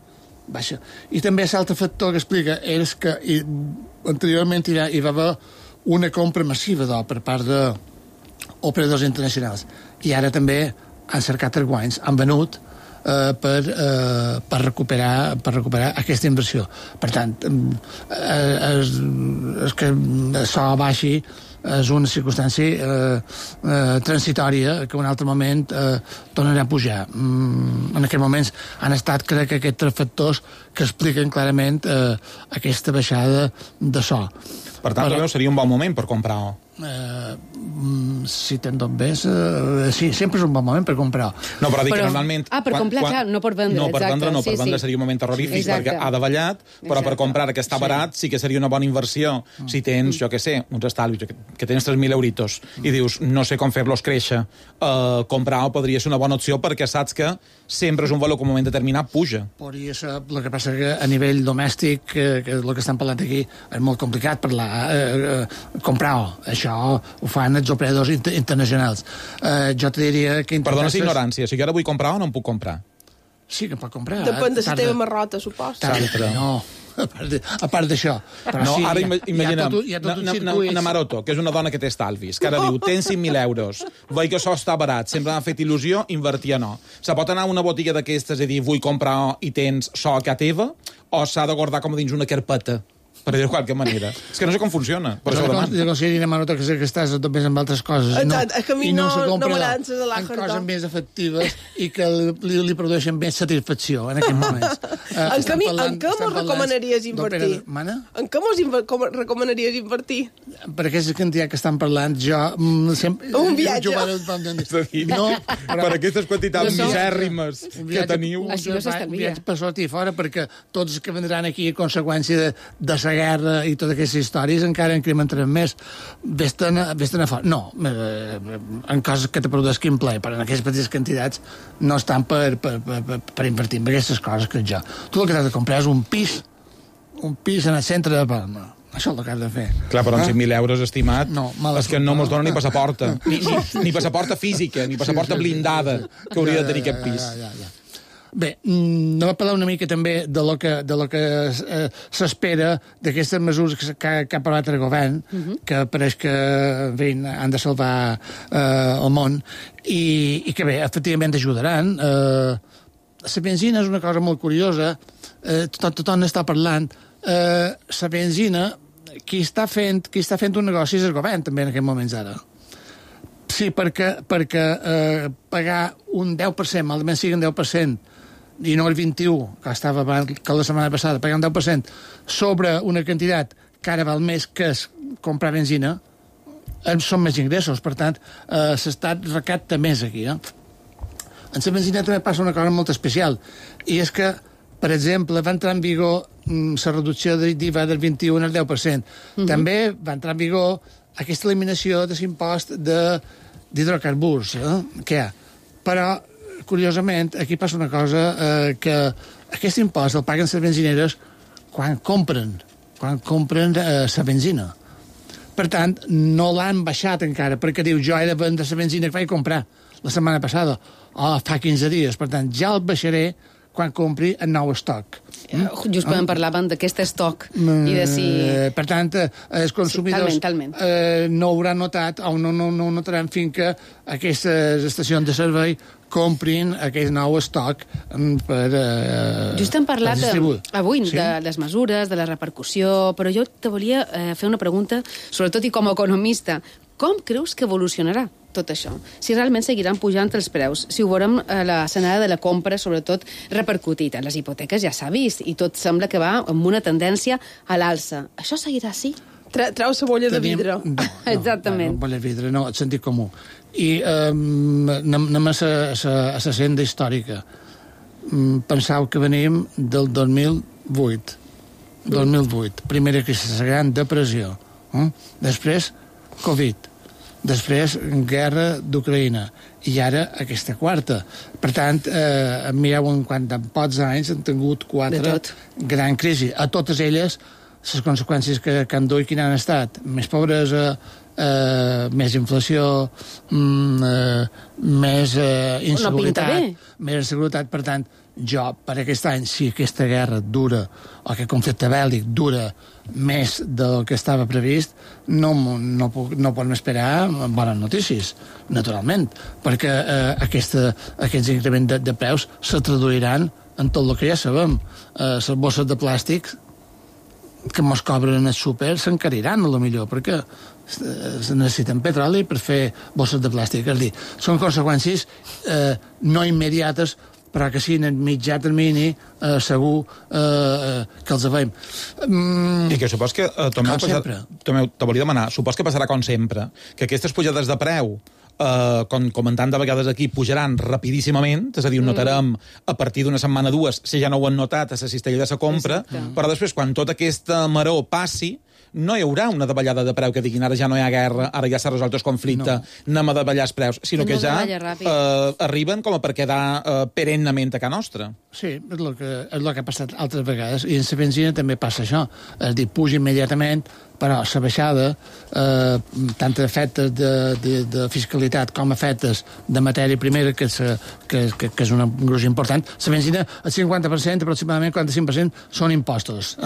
I també l'altre factor que explica és que anteriorment hi va haver una compra massiva d'or per part d'operadors internacionals i ara també han cercat els guanys, han venut per recuperar aquesta inversió. Per tant, és que això baixi és una circumstància transitòria que en un altre moment tornarà a pujar. En aquests moments han estat, crec, aquests tres factors que expliquen clarament aquesta baixada de so. Per tant, seria un bon moment per comprar-ho. Si te'n tot bé, sí, sempre és un bon moment per comprar. No, però dic que normalment... per comprar, clar, no per vendre. No, per vendre seria un moment terrorífic perquè ha davallat, però per comprar que està barat sí que seria una bona inversió. Si tens, jo què sé, uns estalvis, que tens 3.000 euritos i dius, no sé com fer-los créixer, comprar-ho podria ser una bona opció perquè saps que sempre és un valor que en un moment determinat puja. Podria ser, el que passa que a nivell domèstic, que el que estan parlant aquí, és molt complicat parlar, comprar-ho. Això ho fan els operadors internacionals. Jo te diria que... Perdona la ignorància, si jo ara vull comprar o no em puc comprar? Sí que em pot comprar. Depèn de la teva marrota, suposo. No, a part d'això. No, ara imaginem una Maroto, que és una dona que té estalvis, que ara diu, tens 5.000 euros, veig que això està barat, sempre m'ha fet il·lusió, invertir o no. Se pot anar a una botiga d'aquestes i dir, vull comprar i tens això a casa teva, o s'ha de guardar com dins una carpeta? Per dir-ho de qualque manera. És que no sé com funciona. Per això ho demano. Jo considero una Maroto que estàs tot més amb altres coses. És que a mi no m'agrada en coses més efectives i que li produeixen més satisfacció en aquests moments. En què mos recomanaries invertir? En què mos recomanaries invertir? Per aquesta quantitat que estan parlant, jo... Un viatge. Per aquestes quantitats misèrrimes que teniu... Un viatge per sortir fora, perquè tots els que vendran aquí a conseqüència de la guerra i totes aquestes històries encara incrementaran més. Vés-te'n a fora. No, en coses que te produeixin plaer, però en aquestes petites quantitats no estan per invertir en aquestes coses que jo. Tu el que has de comprar és un pis en el centre de Palma. Això és el que has de fer. Clar, però amb 5.000 euros, estimat, és que no mos dona ni passaporta. Ni passaporta física, ni passaporta blindada que hauria de tenir aquest pis. Bé, anem a parlar una mica també de lo que s'espera d'aquestes mesures que ha parlat el govern, que pareix que han de salvar el món, i que bé, efectivament ajudaran. La benzina és una cosa molt curiosa, tothom està parlant. La benzina, qui està fent un negoci és el govern, també, en aquests moments ara. Sí, perquè pagar un 10%, almenys sigui un 10%, i no el 21%, que estava que la setmana passada, pagar un 10% sobre una quantitat que ara val més que comprar benzina, són més ingressos, per tant, s'estat recapta més aquí. En la benzina també passa una cosa molt especial, i és que, per exemple, va entrar en vigor la reducció d'IVA del 21% al 10%. També va entrar en vigor aquesta eliminació de l'impost d'hidrocarburs que hi ha. Però curiosament, aquí passa una cosa, que aquest impost el paguen les benzineres quan compren la benzina. Per tant, no l'han baixat encara, perquè diu, jo he de vendre la benzina que vaig comprar la setmana passada, o fa 15 dies. Per tant, ja el baixaré quan compri el nou estoc. Just quan parlàvem d'aquest estoc i de si... Per tant, els consumidors talment. No hauran notat o no notaran fins que aquestes estacions de servei comprin aquest nou estoc per just hem parlat avui sí? de les mesures, de la repercussió, però jo te volia fer una pregunta, sobretot i com a economista. Com creus que evolucionarà tot això? Si realment seguiran pujant els preus, si ho veurem a l'escenari de la compra, sobretot repercutit a les hipoteques, ja s'ha vist, i tot sembla que va amb una tendència a l'alça. Això seguirà així? Treu la bolla de vidre. No, exactament. No, bolla de vidre, no, el sentit comú. I anem a la senda històrica. Pensau que venim del 2008. Primera crisi, la gran depressió. Després, Covid. Després, guerra d'Ucraïna. I ara, aquesta quarta. Per tant, mireu en pocs anys han tingut 4 gran crisi. A totes elles, les conseqüències que han dut i quines han estat. Més pobresa, més inflació, més inseguretat. Més inseguretat, per tant, jo, per aquest any, si aquesta guerra dura, o aquest conflicte bèl·lic dura més del que estava previst, no podem esperar bones notícies, naturalment, perquè aquests increments de preus se traduiran en tot el que ja sabem. Les bosses de plàstic que mos cobren al súper s'encariran, a lo millor, perquè necessiten petroli per fer bosses de plàstic. És a dir, són conseqüències no immediates, però que sí, en el mitjà termini segur que els veiem. I que supos que, Tomeu, te volia demanar, supos que passarà com sempre, que aquestes pujades de preu, com comentant de vegades aquí, pujaran rapidíssimament, és a dir, ho notarem a partir d'una setmana o dues, si ja no ho han notat a la cistella de la compra, però després, quan tota aquesta maror passi, no hi haurà una davallada de preu que diguin ara ja no hi ha guerra, ara ja s'ha resolt el conflicte, anem a davallar els preus, sinó que ja arriben com a per quedar perennament a casa nostra. Sí, és el que ha passat altres vegades, i en la benzina també passa això. És a dir, puja immediatament, però la baixada, tant efectes de fiscalitat com efectes de matèria primera, que és un gruix important, la benzina, el 50%, aproximadament 45%, són impostos,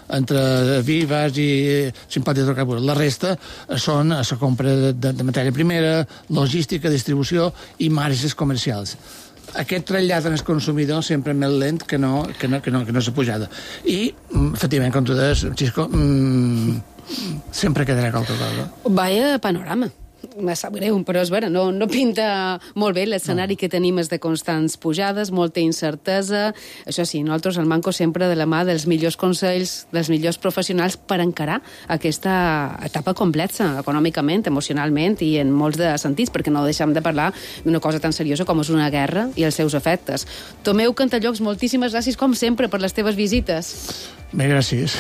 entre vi, gas i simpàtic d'hidrocarburs. La resta són la compra de matèria primera, logística, distribució i marges comercials. Aquest trasllat en el consumidor sempre més lent que no s'ha pujada. I, efectivament, com tu deies, Xisco, sempre quedarà qualque cosa. Vaya panorama. Me sap greu, però és vera, no pinta molt bé l'escenari que tenim és de constants pujades, molta incertesa. Això sí, nosaltres al Manco sempre de la mà dels millors consells, dels millors professionals per encarar aquesta etapa complexa, econòmicament, emocionalment i en molts de sentits, perquè no deixem de parlar d'una cosa tan seriosa com és una guerra i els seus efectes. Tomeu Cantallops, moltíssimes gràcies, com sempre, per les teves visites. Bé, gràcies.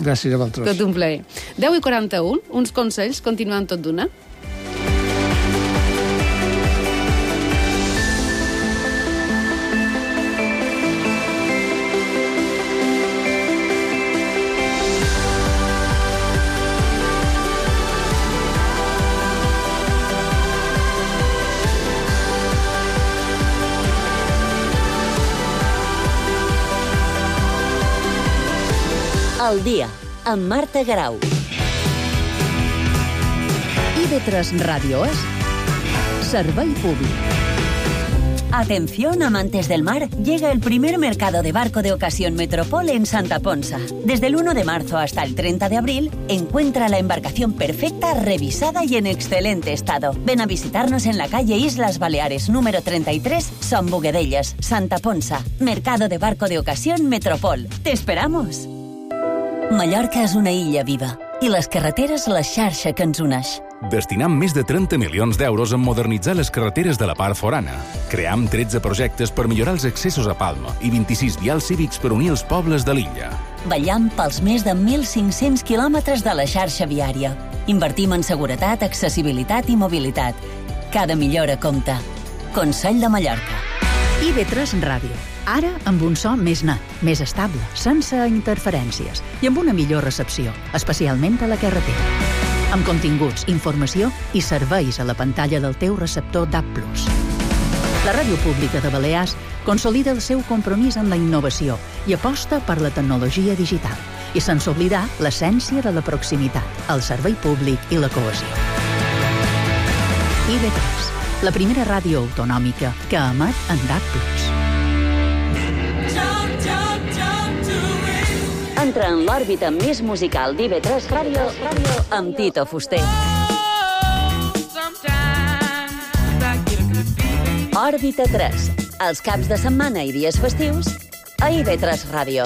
Gràcies a vosaltres. Tot un plaer. 10:41, uns consells, continuant tot d'una. Al dia, amb Marta Garau. IB3 Radio es Servei Públic. Atención, amantes del mar, llega el primer mercado de barco de ocasión Metropol en Santa Ponsa. Desde el 1 de marzo hasta el 30 de abril, encuentra la embarcación perfecta, revisada y en excelente estado. Ven a visitarnos en la calle Islas Baleares, número 33, Son Boguedellas, Santa Ponsa. Mercado de barco de ocasión Metropol. ¡Te esperamos! Mallorca és una illa viva i les carreteres la xarxa que ens uneix. Destinam més de 30 milions d'euros en modernitzar les carreteres de la part forana. Cream 13 projectes per millorar els accessos a Palma i 26 vials cívics per unir els pobles de l'illa. Vetllam pels més de 1.500 quilòmetres de la xarxa viària. Invertim en seguretat, accessibilitat i mobilitat. Cada millora compta. Consell de Mallorca. IB3 Ràdio. Ara amb un so més net, més estable, sense interferències i amb una millor recepció, especialment a la carretera. amb continguts, informació i serveis a la pantalla del teu receptor DAB+. La Ràdio Pública de Balears consolida el seu compromís amb la innovació i aposta per la tecnologia digital, i sense oblidar l'essència de la proximitat, el servei públic i la cohesió. IB3, la primera ràdio autonòmica que emet en DAB+. Entra en l'òrbita més musical d'IB3 Ràdio amb Tito Fuster. Òrbita 3, els caps de setmana i dies festius a IB3 Ràdio.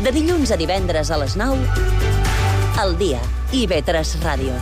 De dilluns a divendres a les 9, al dia, IB3 Ràdio.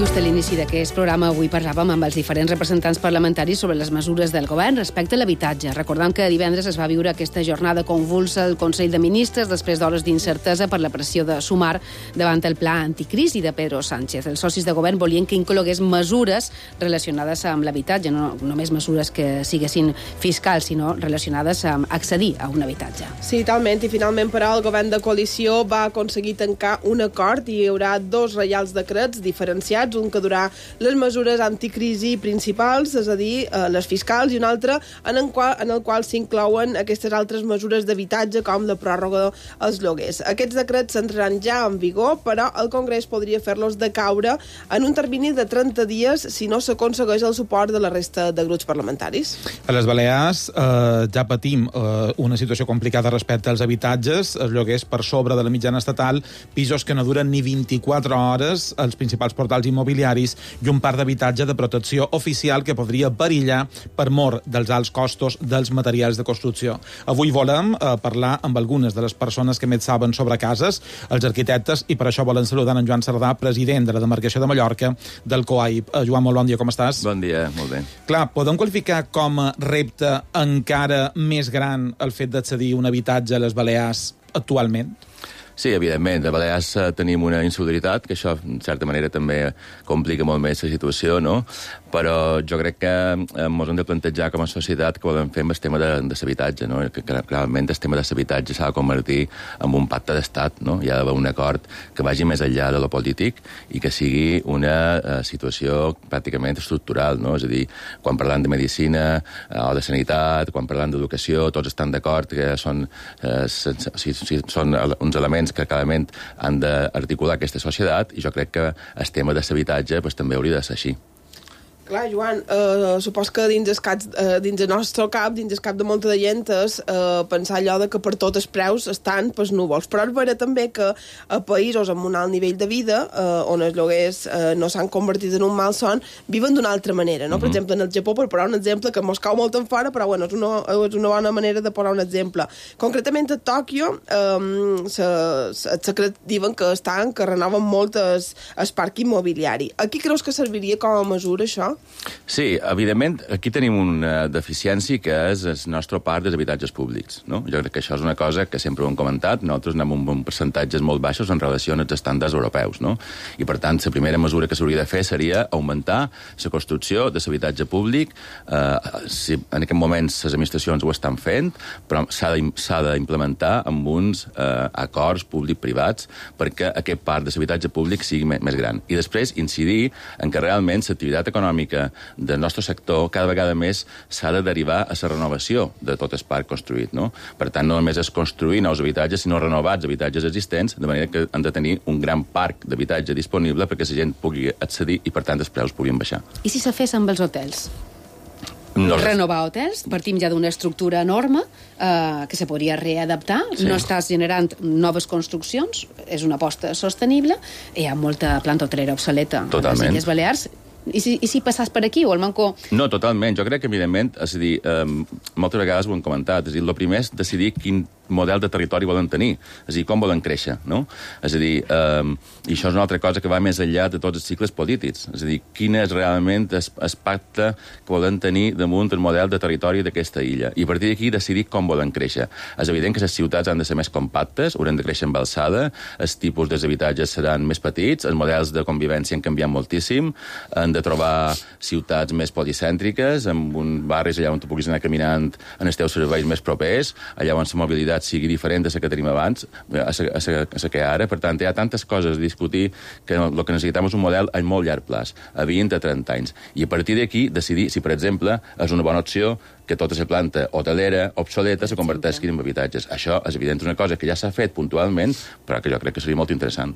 Just a l'inici d'aquest programa avui parlàvem amb els diferents representants parlamentaris sobre les mesures del govern respecte a l'habitatge. Recordem que divendres es va viure aquesta jornada convulsa al Consell de Ministres després d'hores d'incertesa per la pressió de Sumar davant el pla anticrisi de Pedro Sánchez. Els socis de govern volien que inclogués mesures relacionades amb l'habitatge, no només mesures que siguessin fiscals, sinó relacionades amb accedir a un habitatge. Sí, talment, i finalment, però, el govern de coalició va aconseguir tancar un acord i hi haurà 2 reials decrets diferenciats, un que durà les mesures anticrisi principals, és a dir, les fiscals, i un altre en el qual s'inclouen aquestes altres mesures d'habitatge, com la pròrroga als lloguers. Aquests decrets s'entraran ja en vigor, però el Congrés podria fer-los decaure en un termini de 30 dies si no s'aconsegueix el suport de la resta de grups parlamentaris. A les Balears ja patim una situació complicada respecte als habitatges, els lloguers per sobre de la mitjana estatal, pisos que no duren ni 24 hores, els principals portals immobiliaris i un parc d'habitatge de protecció oficial que podria perillar per mor dels alts costos dels materials de construcció. Avui volem parlar amb algunes de les persones que més saben sobre cases, els arquitectes, i per això volen saludar en Joan Cerdà, president de la demarcació de Mallorca del COAIP. Joan, molt bon dia, com estàs? Bon dia, molt bé. Clar, podem qualificar com a repte encara més gran el fet d'accedir a un habitatge a les Balears actualment? Sí, evidentment. A Balears tenim una insolidaritat, que això, en certa manera, també complica molt més la situació, no? Però jo crec que ens hem de plantejar com a societat que volem fer amb el tema de l'habitatge, no? Que realment el tema de l'habitatge s'ha de convertir en un pacte d'estat, no? Hi ha d'haver un acord que vagi més enllà de lo polític i que sigui una situació pràcticament estructural, no? És a dir, quan parlant de medicina o de sanitat, quan parlant d'educació, tots estan d'acord que són uns elements que clarament han d'articular aquesta societat, i jo crec que el tema de l'habitatge també hauria de ser així. Clar, Joan, supos que dins el nostre cap, dins el cap de molta de gent, és pensar allò de que per tots els preus estan pels núvols. Però és vera també que a països amb un alt nivell de vida, on els lloguers no s'han convertit en un malson, viven d'una altra manera, no? Per exemple, en el Japó, per posar un exemple que mos cau molt en fora, però bueno, és una bona manera de posar un exemple. Concretament a Tòquio, diuen que renoven molt el parc immobiliari. Aquí creus que serviria com a mesura, això? Sí, evidentment, aquí tenim una deficiència que és el nostre parc dels habitatges públics, no? Jo crec que això és una cosa que sempre ho hem comentat, nosaltres anem amb percentatges molt baixos en relació als estàndards europeus, no? I, per tant, la primera mesura que s'hauria de fer seria augmentar la construcció de l'habitatge públic. Si en aquest moment les administracions ho estan fent, però s'ha d'implementar amb uns acords públic-privats perquè aquest parc de l'habitatge públic sigui més gran. I després incidir en que realment l'activitat econòmica del nostre sector cada vegada més s'ha de derivar a la renovació de tot el parc construït, no? Per tant, no només és construir nous habitatges, sinó renovats habitatges existents, de manera que hem de tenir un gran parc d'habitatge disponible perquè la gent pugui accedir i, per tant, els preus puguin baixar. I si se fes amb els hotels? No. Renovar hotels, partim ja d'una estructura enorme que se podria readaptar, sí. No estàs generant noves construccions, és una aposta sostenible, hi ha molta planta hotelera obsoleta a les Illes Balears. I si passàs per aquí, o el manco... No, totalment. Jo crec que, evidentment, és a dir, moltes vegades ho hem comentat, és a dir, el primer és decidir quin model de territori volen tenir, és a dir, com volen créixer, no? És a dir, i això és una altra cosa que va més enllà de tots els cicles polítics, és a dir, quin és realment el pacte que volen tenir damunt el model de territori d'aquesta illa, i a partir d'aquí decidir com volen créixer. És evident que les ciutats han de ser més compactes, hauran de créixer amb alçada, els tipus d'habitatges seran més petits, els models de convivència han canviat moltíssim, han de trobar ciutats més policèntriques, amb un barris allà on tu puguis anar caminant en els teus serveis més propers, allà on la mobilitat sigui diferent de la que tenim abans, a la que ara. Per tant, hi ha tantes coses a discutir que el que necessitem és un model a molt llarg plaç, a 20 a 30 anys. I a partir d'aquí decidir si, per exemple, és una bona opció que tota la planta hotelera obsoleta se converteixi en habitatges. Això, és evident, una cosa que ja s'ha fet puntualment, però que jo crec que seria molt interessant.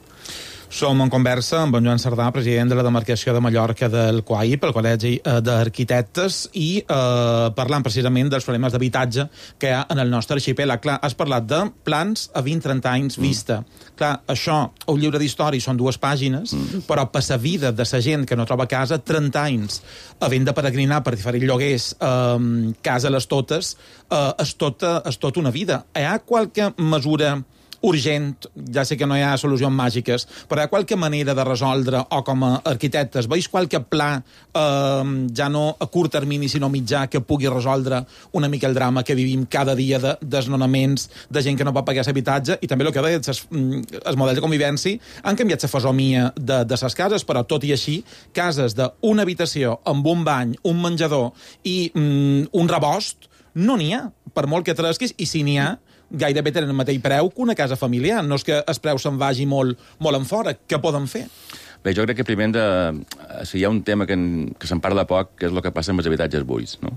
Som en conversa amb en Joan Cerdà, president de la demarcació de Mallorca del COAI, pel Col·legi d'Arquitectes, i parlant precisament dels problemes d'habitatge que hi ha en el nostre arxipèlag. Clar, has parlat de plans a 20-30 anys vista. Clar, això, un llibre d'història són 2 pàgines, però per la vida de la gent que no troba casa, 30 anys, havent de peregrinar per diferents lloguers, casa les totes, és tota una vida. Hi ha qualque mesura urgent, ja sé que no hi ha solucions màgiques, però hi ha qualque manera de resoldre, o com a arquitectes, veus qualque pla, ja no a curt termini, sinó mitjà, que pugui resoldre una mica el drama que vivim cada dia de desnonaments, de gent que no pot pagar l'habitatge, i també el que deia, els models de convivència han canviat la fesomia de les cases, però tot i així, cases d'una habitació amb un bany, un menjador i un rebost, no n'hi ha, per molt que tresquis, i si n'hi ha, gairebé tenen el mateix preu que una casa familiar. No és que el preu se'n vagi molt en fora. Què poden fer? Bé, jo crec que primer hi ha un tema que se'n parla poc, que és el que passa amb els habitatges buits, no?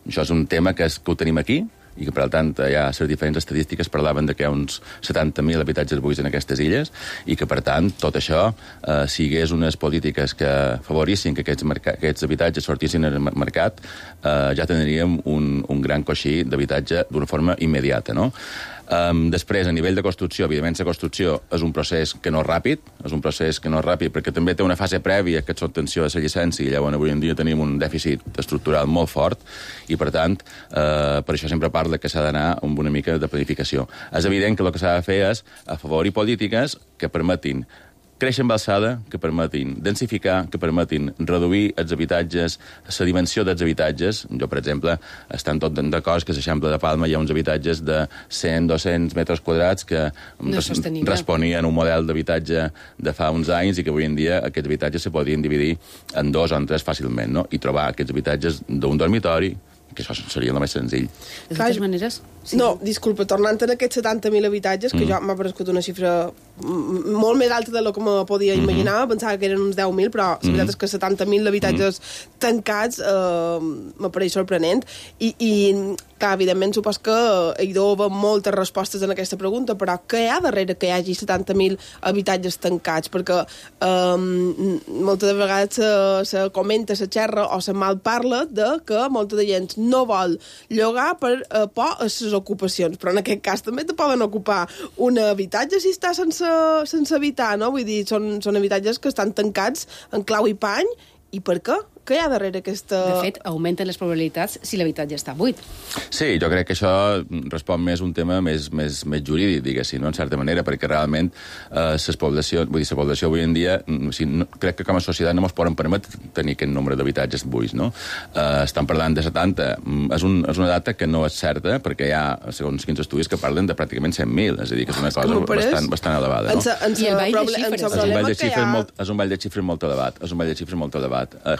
Això és un tema que ho tenim aquí, i que, per tant, ja les diferents estadístiques parlaven de que hi ha uns 70.000 habitatges buits en aquestes illes, i que, per tant, tot això, si hi hagués unes polítiques que favorissin que aquests habitatges sortissin al mercat, ja tindríem un gran coixí d'habitatge d'una forma immediata, no? Després, a nivell de construcció, evidentment, la construcció és un procés que no és ràpid, perquè també té una fase prèvia, que és l'obtenció de la llicència, i llavors avui en dia tenim un dèficit estructural molt fort, i per tant, per això sempre parla que s'ha d'anar amb una mica de planificació. És evident que el que s'ha de fer és afavorir polítiques que permetin créixer amb alçada, que permetin densificar, que permetin reduir els habitatges, la dimensió dels habitatges. Jo, per exemple, estan tot d'acord que a l'Eixample de Palma hi ha uns habitatges de 100-200 metres quadrats que responien a un model d'habitatge de fa uns anys i que avui en dia aquests habitatges se podien dividir en 2 o en 3 fàcilment, no? I trobar aquests habitatges d'un dormitori, que això seria el més senzill. De totes maneres... Sí. No, disculpa, tornant a aquests 70.000 habitatges, que jo m'ha paregut una xifra molt més alta de lo que me podia imaginar, pensava que eren uns 10.000, però la veritat és que 70.000 habitatges tancats m'apareix sorprenent, i clar, evidentment, supos que hi deu haver moltes respostes en aquesta pregunta, però què hi ha darrere que hi hagi 70.000 habitatges tancats? Perquè moltes vegades se comenta, se xerra o se malparla de que molta de gent no vol llogar per por a les ocupacions, però en aquest cas també te poden ocupar un habitatge si està sense habitar, no? Vull dir, són habitatges que estan tancats en clau i pany, i per què? Què hi ha darrere aquesta... De fet, augmenten les probabilitats si l'habitatge està buit. Sí, jo crec que això respon més un tema més jurídic, diguéssim, no? En certa manera, perquè realment la població avui en dia, crec que com a societat no ens poden permetre tenir aquest nombre d'habitatges buits, no? Estan parlant de 70. És una data que no és certa, perquè hi ha, segons quins estudis, que parlen de pràcticament 100.000, és a dir, que és una cosa bastant elevada, no? I el ball de xifres. És un ball de xifres molt elevat.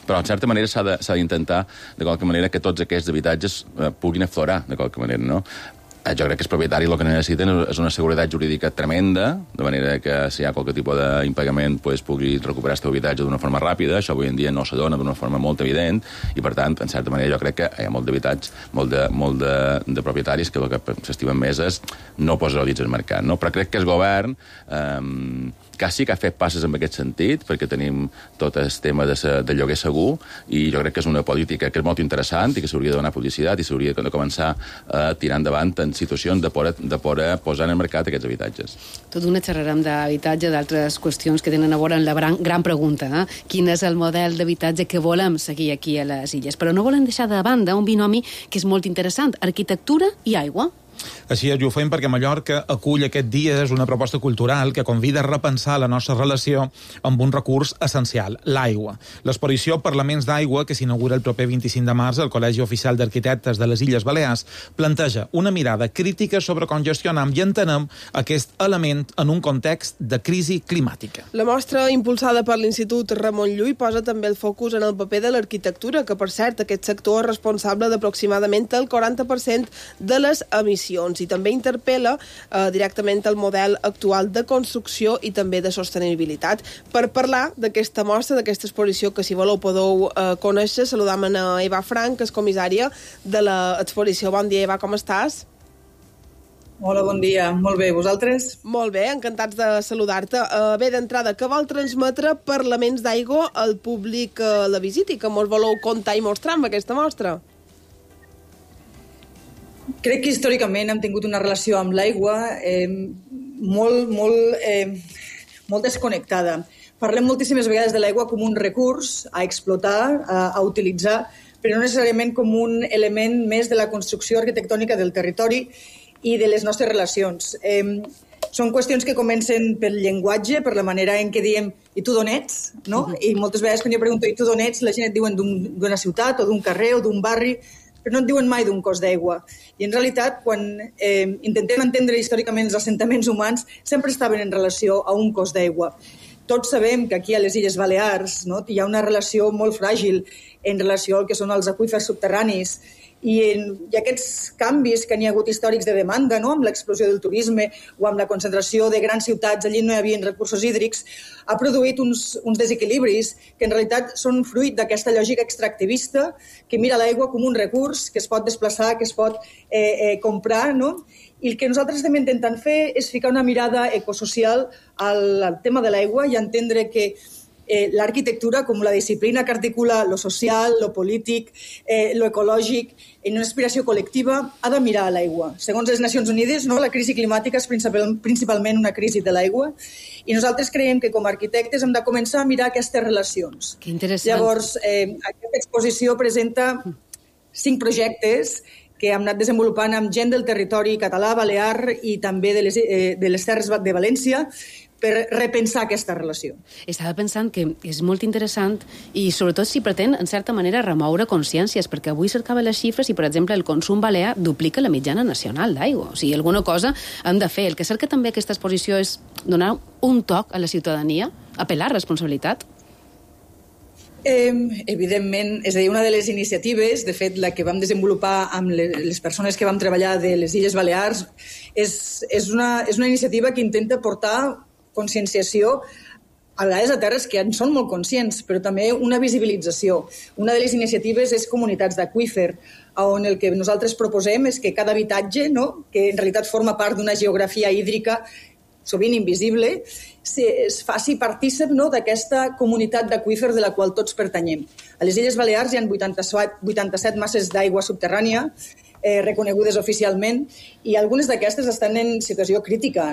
Però, en certa manera, s'ha d'intentar, de qualque manera, que tots aquests habitatges puguin aflorar, de qualque manera, no? Jo crec que els propietaris el que necessiten és una seguretat jurídica tremenda, de manera que si hi ha qualque tipus d'impagament pugui recuperar aquest habitatge d'una forma ràpida. Això avui en dia no se dona d'una forma molt evident, i per tant, en certa manera, jo crec que hi ha molt d'habitatge, molt de propietaris que el que s'estimen més és no posar-ho dins el mercat, no? Però crec que el govern que sí que ha fet passes en aquest sentit, perquè tenim tot el tema de lloguer segur, i jo crec que és una política que és molt interessant i que s'hauria de donar publicitat i s'hauria de començar a tirar endavant en situacions de poder posar en el mercat aquests habitatges. Tot d'una xerrarem d'habitatge, d'altres qüestions que tenen a veure amb la gran pregunta, quin és el model d'habitatge que volem seguir aquí a les illes. Però no volem deixar de banda un binomi que és molt interessant, arquitectura i aigua. Així és, i ho fem perquè Mallorca acull aquest dia, és una proposta cultural que convida a repensar la nostra relació amb un recurs essencial, l'aigua. L'exposició Parlaments d'aigua, que s'inaugura el proper 25 de març al Col·legi Oficial d'Arquitectes de les Illes Balears, planteja una mirada crítica sobre com gestionam i entenem aquest element en un context de crisi climàtica. La mostra, impulsada per l'Institut Ramon Llull, posa també el focus en el paper de l'arquitectura, que, per cert, aquest sector és responsable d'aproximadament el 40% de les emissions, i també interpel·la directament el model actual de construcció i també de sostenibilitat. Per parlar d'aquesta mostra, d'aquesta exposició, que si voleu podeu conèixer, saludam a Eva Frank, que és comissària de l'exposició. Bon dia, Eva, com estàs? Hola, bon dia. Molt bé, vosaltres? Molt bé, encantats de saludar-te. Bé, d'entrada, què vol transmetre Parlaments d'aigua al públic que la visiti, que mos voleu contar i mostrar amb aquesta mostra? Crec que històricament hem tingut una relació amb l'aigua molt desconnectada. Parlem moltíssimes vegades de l'aigua com un recurs a explotar, a utilitzar, però no necessàriament com un element més de la construcció arquitectònica del territori i de les nostres relacions. Són qüestions que comencen pel llenguatge, per la manera en què diem i tu d'on ets, no? I moltes vegades quan jo pregunto i tu d'on ets, la gent et diuen d'una ciutat o d'un carrer o d'un barri, però no et diuen mai d'un cos d'aigua. I en realitat, quan intentem entendre històricament els assentaments humans, sempre estaven en relació a un cos d'aigua. Tots sabem que aquí a les Illes Balears hi ha una relació molt fràgil en relació al que són els aqüífers subterranis, i aquests canvis que n'hi ha hagut històrics de demanda, amb l'explosió del turisme o amb la concentració de grans ciutats, allí no hi havia recursos hídrics, ha produït uns desequilibris que en realitat són fruit d'aquesta lògica extractivista que mira l'aigua com un recurs que es pot desplaçar, que es pot comprar, i el que nosaltres estem intentant fer és ficar una mirada ecosocial al tema de l'aigua i entendre que l'arquitectura com la disciplina que articula lo social, lo polític, lo ecològic, en una aspiració col·lectiva, ha de mirar a l'aigua. Segons les Nacions Unides, la crisi climàtica és principalment una crisi de l'aigua, i nosaltres creiem que com a arquitectes hem de començar a mirar aquestes relacions. Que interessant. Llavors, aquesta exposició presenta 5 projectes que hem anat desenvolupant amb gent del territori català, balear i també de les Terres de València, per repensar aquesta relació. Estava pensant que és molt interessant i sobretot si pretén, en certa manera, remoure consciències, perquè avui cercava les xifres i, per exemple, el consum balear duplica la mitjana nacional d'aigua. O sigui, alguna cosa hem de fer. El que cerca també aquesta exposició és donar un toc a la ciutadania, apel·lar a responsabilitat. Evidentment, és a dir, una de les iniciatives, de fet, la que vam desenvolupar amb les persones que vam treballar de les Illes Balears, és una iniciativa que intenta portar conscienciació a vegades a terres que en són molt conscients, però també una visibilització. Una de les iniciatives és comunitats d'aquífer, on el que nosaltres proposem és que cada habitatge, que en realitat forma part d'una geografia hídrica sovint invisible, es faci partícip d'aquesta comunitat d'aquífer de la qual tots pertanyem. A les Illes Balears hi ha 87 masses d'aigua subterrània reconegudes oficialment, i algunes d'aquestes estan en situació crítica,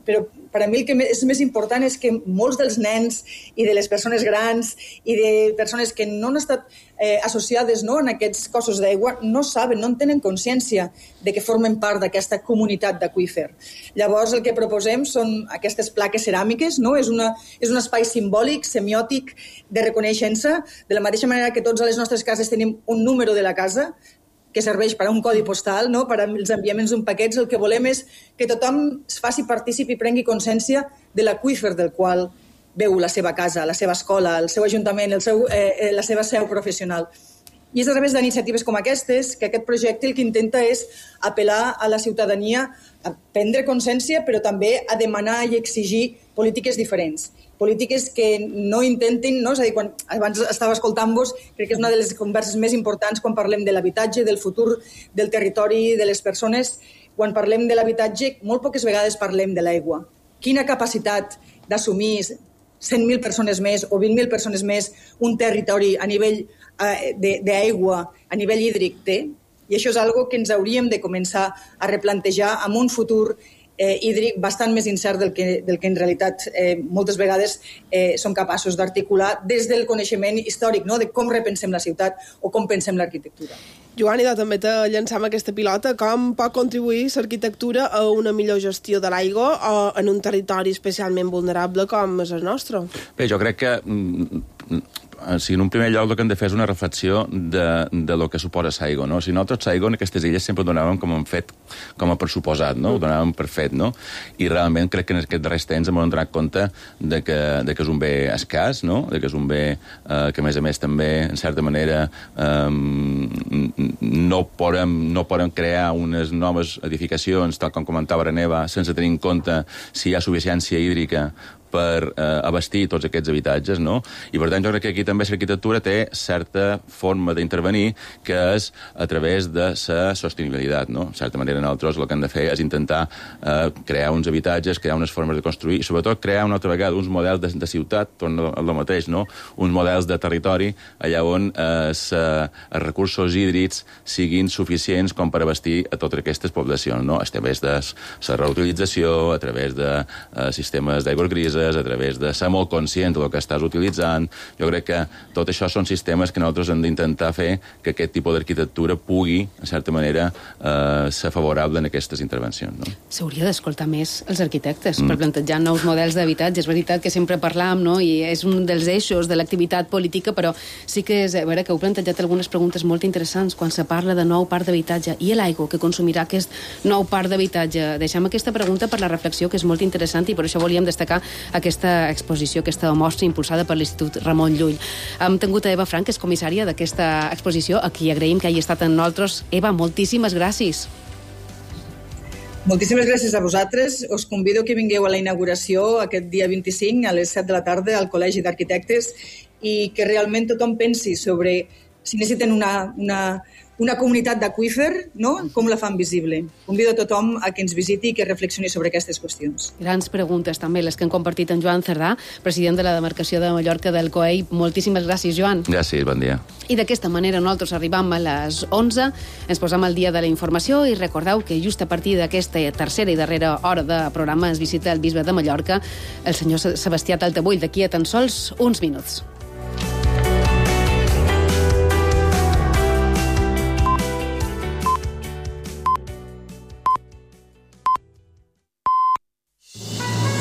però per a mi el que és més important és que molts dels nens i de les persones grans i de persones que no han estat associades en aquests cossos d'aigua no saben, no en tenen consciència de que formen part d'aquesta comunitat d'aquífer. Llavors el que proposem són aquestes plaques ceràmiques, és un espai simbòlic, semiòtic, de reconeixença, de la mateixa manera que tots a les nostres cases tenim un número de la casa, que serveix per a un codi postal, per als enviaments d'un paquet. El que volem és que tothom es faci partícip i prengui consciència de l'aqüífer del qual veu la seva casa, la seva escola, el seu ajuntament, la seva seu professional. I és a través d'iniciatives com aquestes que aquest projecte el que intenta és apel·lar a la ciutadania a prendre consciència, però també a demanar i exigir polítiques diferents. Polítiques que no intentin, és a dir, quan abans estava escoltant-vos, crec que és una de les converses més importants quan parlem de l'habitatge, del futur del territori, de les persones. Quan parlem de l'habitatge, molt poques vegades parlem de l'aigua. Quina capacitat d'assumir 100.000 persones més o 20.000 persones més un territori a nivell d'aigua, a nivell hídric té? I això és algo que ens hauríem de començar a replantejar amb un futur hídric bastant més incert del que en realitat moltes vegades som capaços d'articular des del coneixement històric, de com repensem la ciutat o com pensem l'arquitectura. Joan, i també te llançam aquesta pilota. Com pot contribuir l'arquitectura a una millor gestió de l'aigua en un territori especialment vulnerable com és el nostre? Bé, jo crec que en un primer lloc el que hem de fer és una reflexió de lo que suposa l'aigua, no? Si nosaltres l'aigua en aquestes illes sempre ho donàvem com a pressuposat, no? Ho donàvem per fet, no? I realment crec que en aquests darrers temps hem donat compte de que és un bé escàs, no? De que és un bé que, a més també, en certa manera, no podem crear unes noves edificacions, tal com comentava Reneva, sense tenir en compte si hi ha suficiència hídrica per abastir tots aquests habitatges, no? I per tant jo crec que aquí també l'arquitectura té certa forma d'intervenir que és a través de la sostenibilitat, no? De certa manera nosaltres el que hem de fer és intentar crear uns habitatges, crear unes formes de construir i sobretot crear una altra vegada uns models de ciutat, torna al mateix, no? Uns models de territori allà on els recursos hídrics siguin suficients com per abastir a totes aquestes poblacions, no? A través de la reutilització, a través de sistemes d'aigües grises, a través de ser molt conscient del que estàs utilitzant. Jo crec que tot això són sistemes que nosaltres hem d'intentar fer que aquest tipus d'arquitectura pugui, en certa manera, ser favorable en aquestes intervencions. No? S'hauria d'escoltar més els arquitectes per plantejar nous models d'habitatge. És veritat que sempre parlam, no? I és un dels eixos de l'activitat política, però sí que és vera que heu plantejat algunes preguntes molt interessants quan se parla de nou parc d'habitatge i l'aigua que consumirà aquest nou parc d'habitatge. Deixem aquesta pregunta per la reflexió, que és molt interessant, i per això volíem destacar aquesta exposició, aquesta mostra impulsada per l'Institut Ramon Llull. Hem tingut a Eva Frank, que és comissària d'aquesta exposició, a qui agraïm que hagi estat amb nosaltres. Eva, moltíssimes gràcies. Moltíssimes gràcies a vosaltres. Us convido que vingueu a la inauguració aquest dia 25 a les 7 de la tarda al Col·legi d'Arquitectes i que realment tothom pensi sobre si necessiten una comunitat d'aqüífer, no? Com la fan visible. Convido a tothom a que ens visiti i que reflexioni sobre aquestes qüestions. Grans preguntes també, les que han compartit en Joan Cerdà, president de la demarcació de Mallorca del COEI. Moltíssimes gràcies, Joan. Gràcies, bon dia. I d'aquesta manera nosaltres arribam a les 11, ens posam al dia de la informació i recordeu que just a partir d'aquesta tercera i darrera hora de programa ens visita el bisbe de Mallorca, el senyor Sebastià Taltabull, d'aquí a tan sols uns minuts.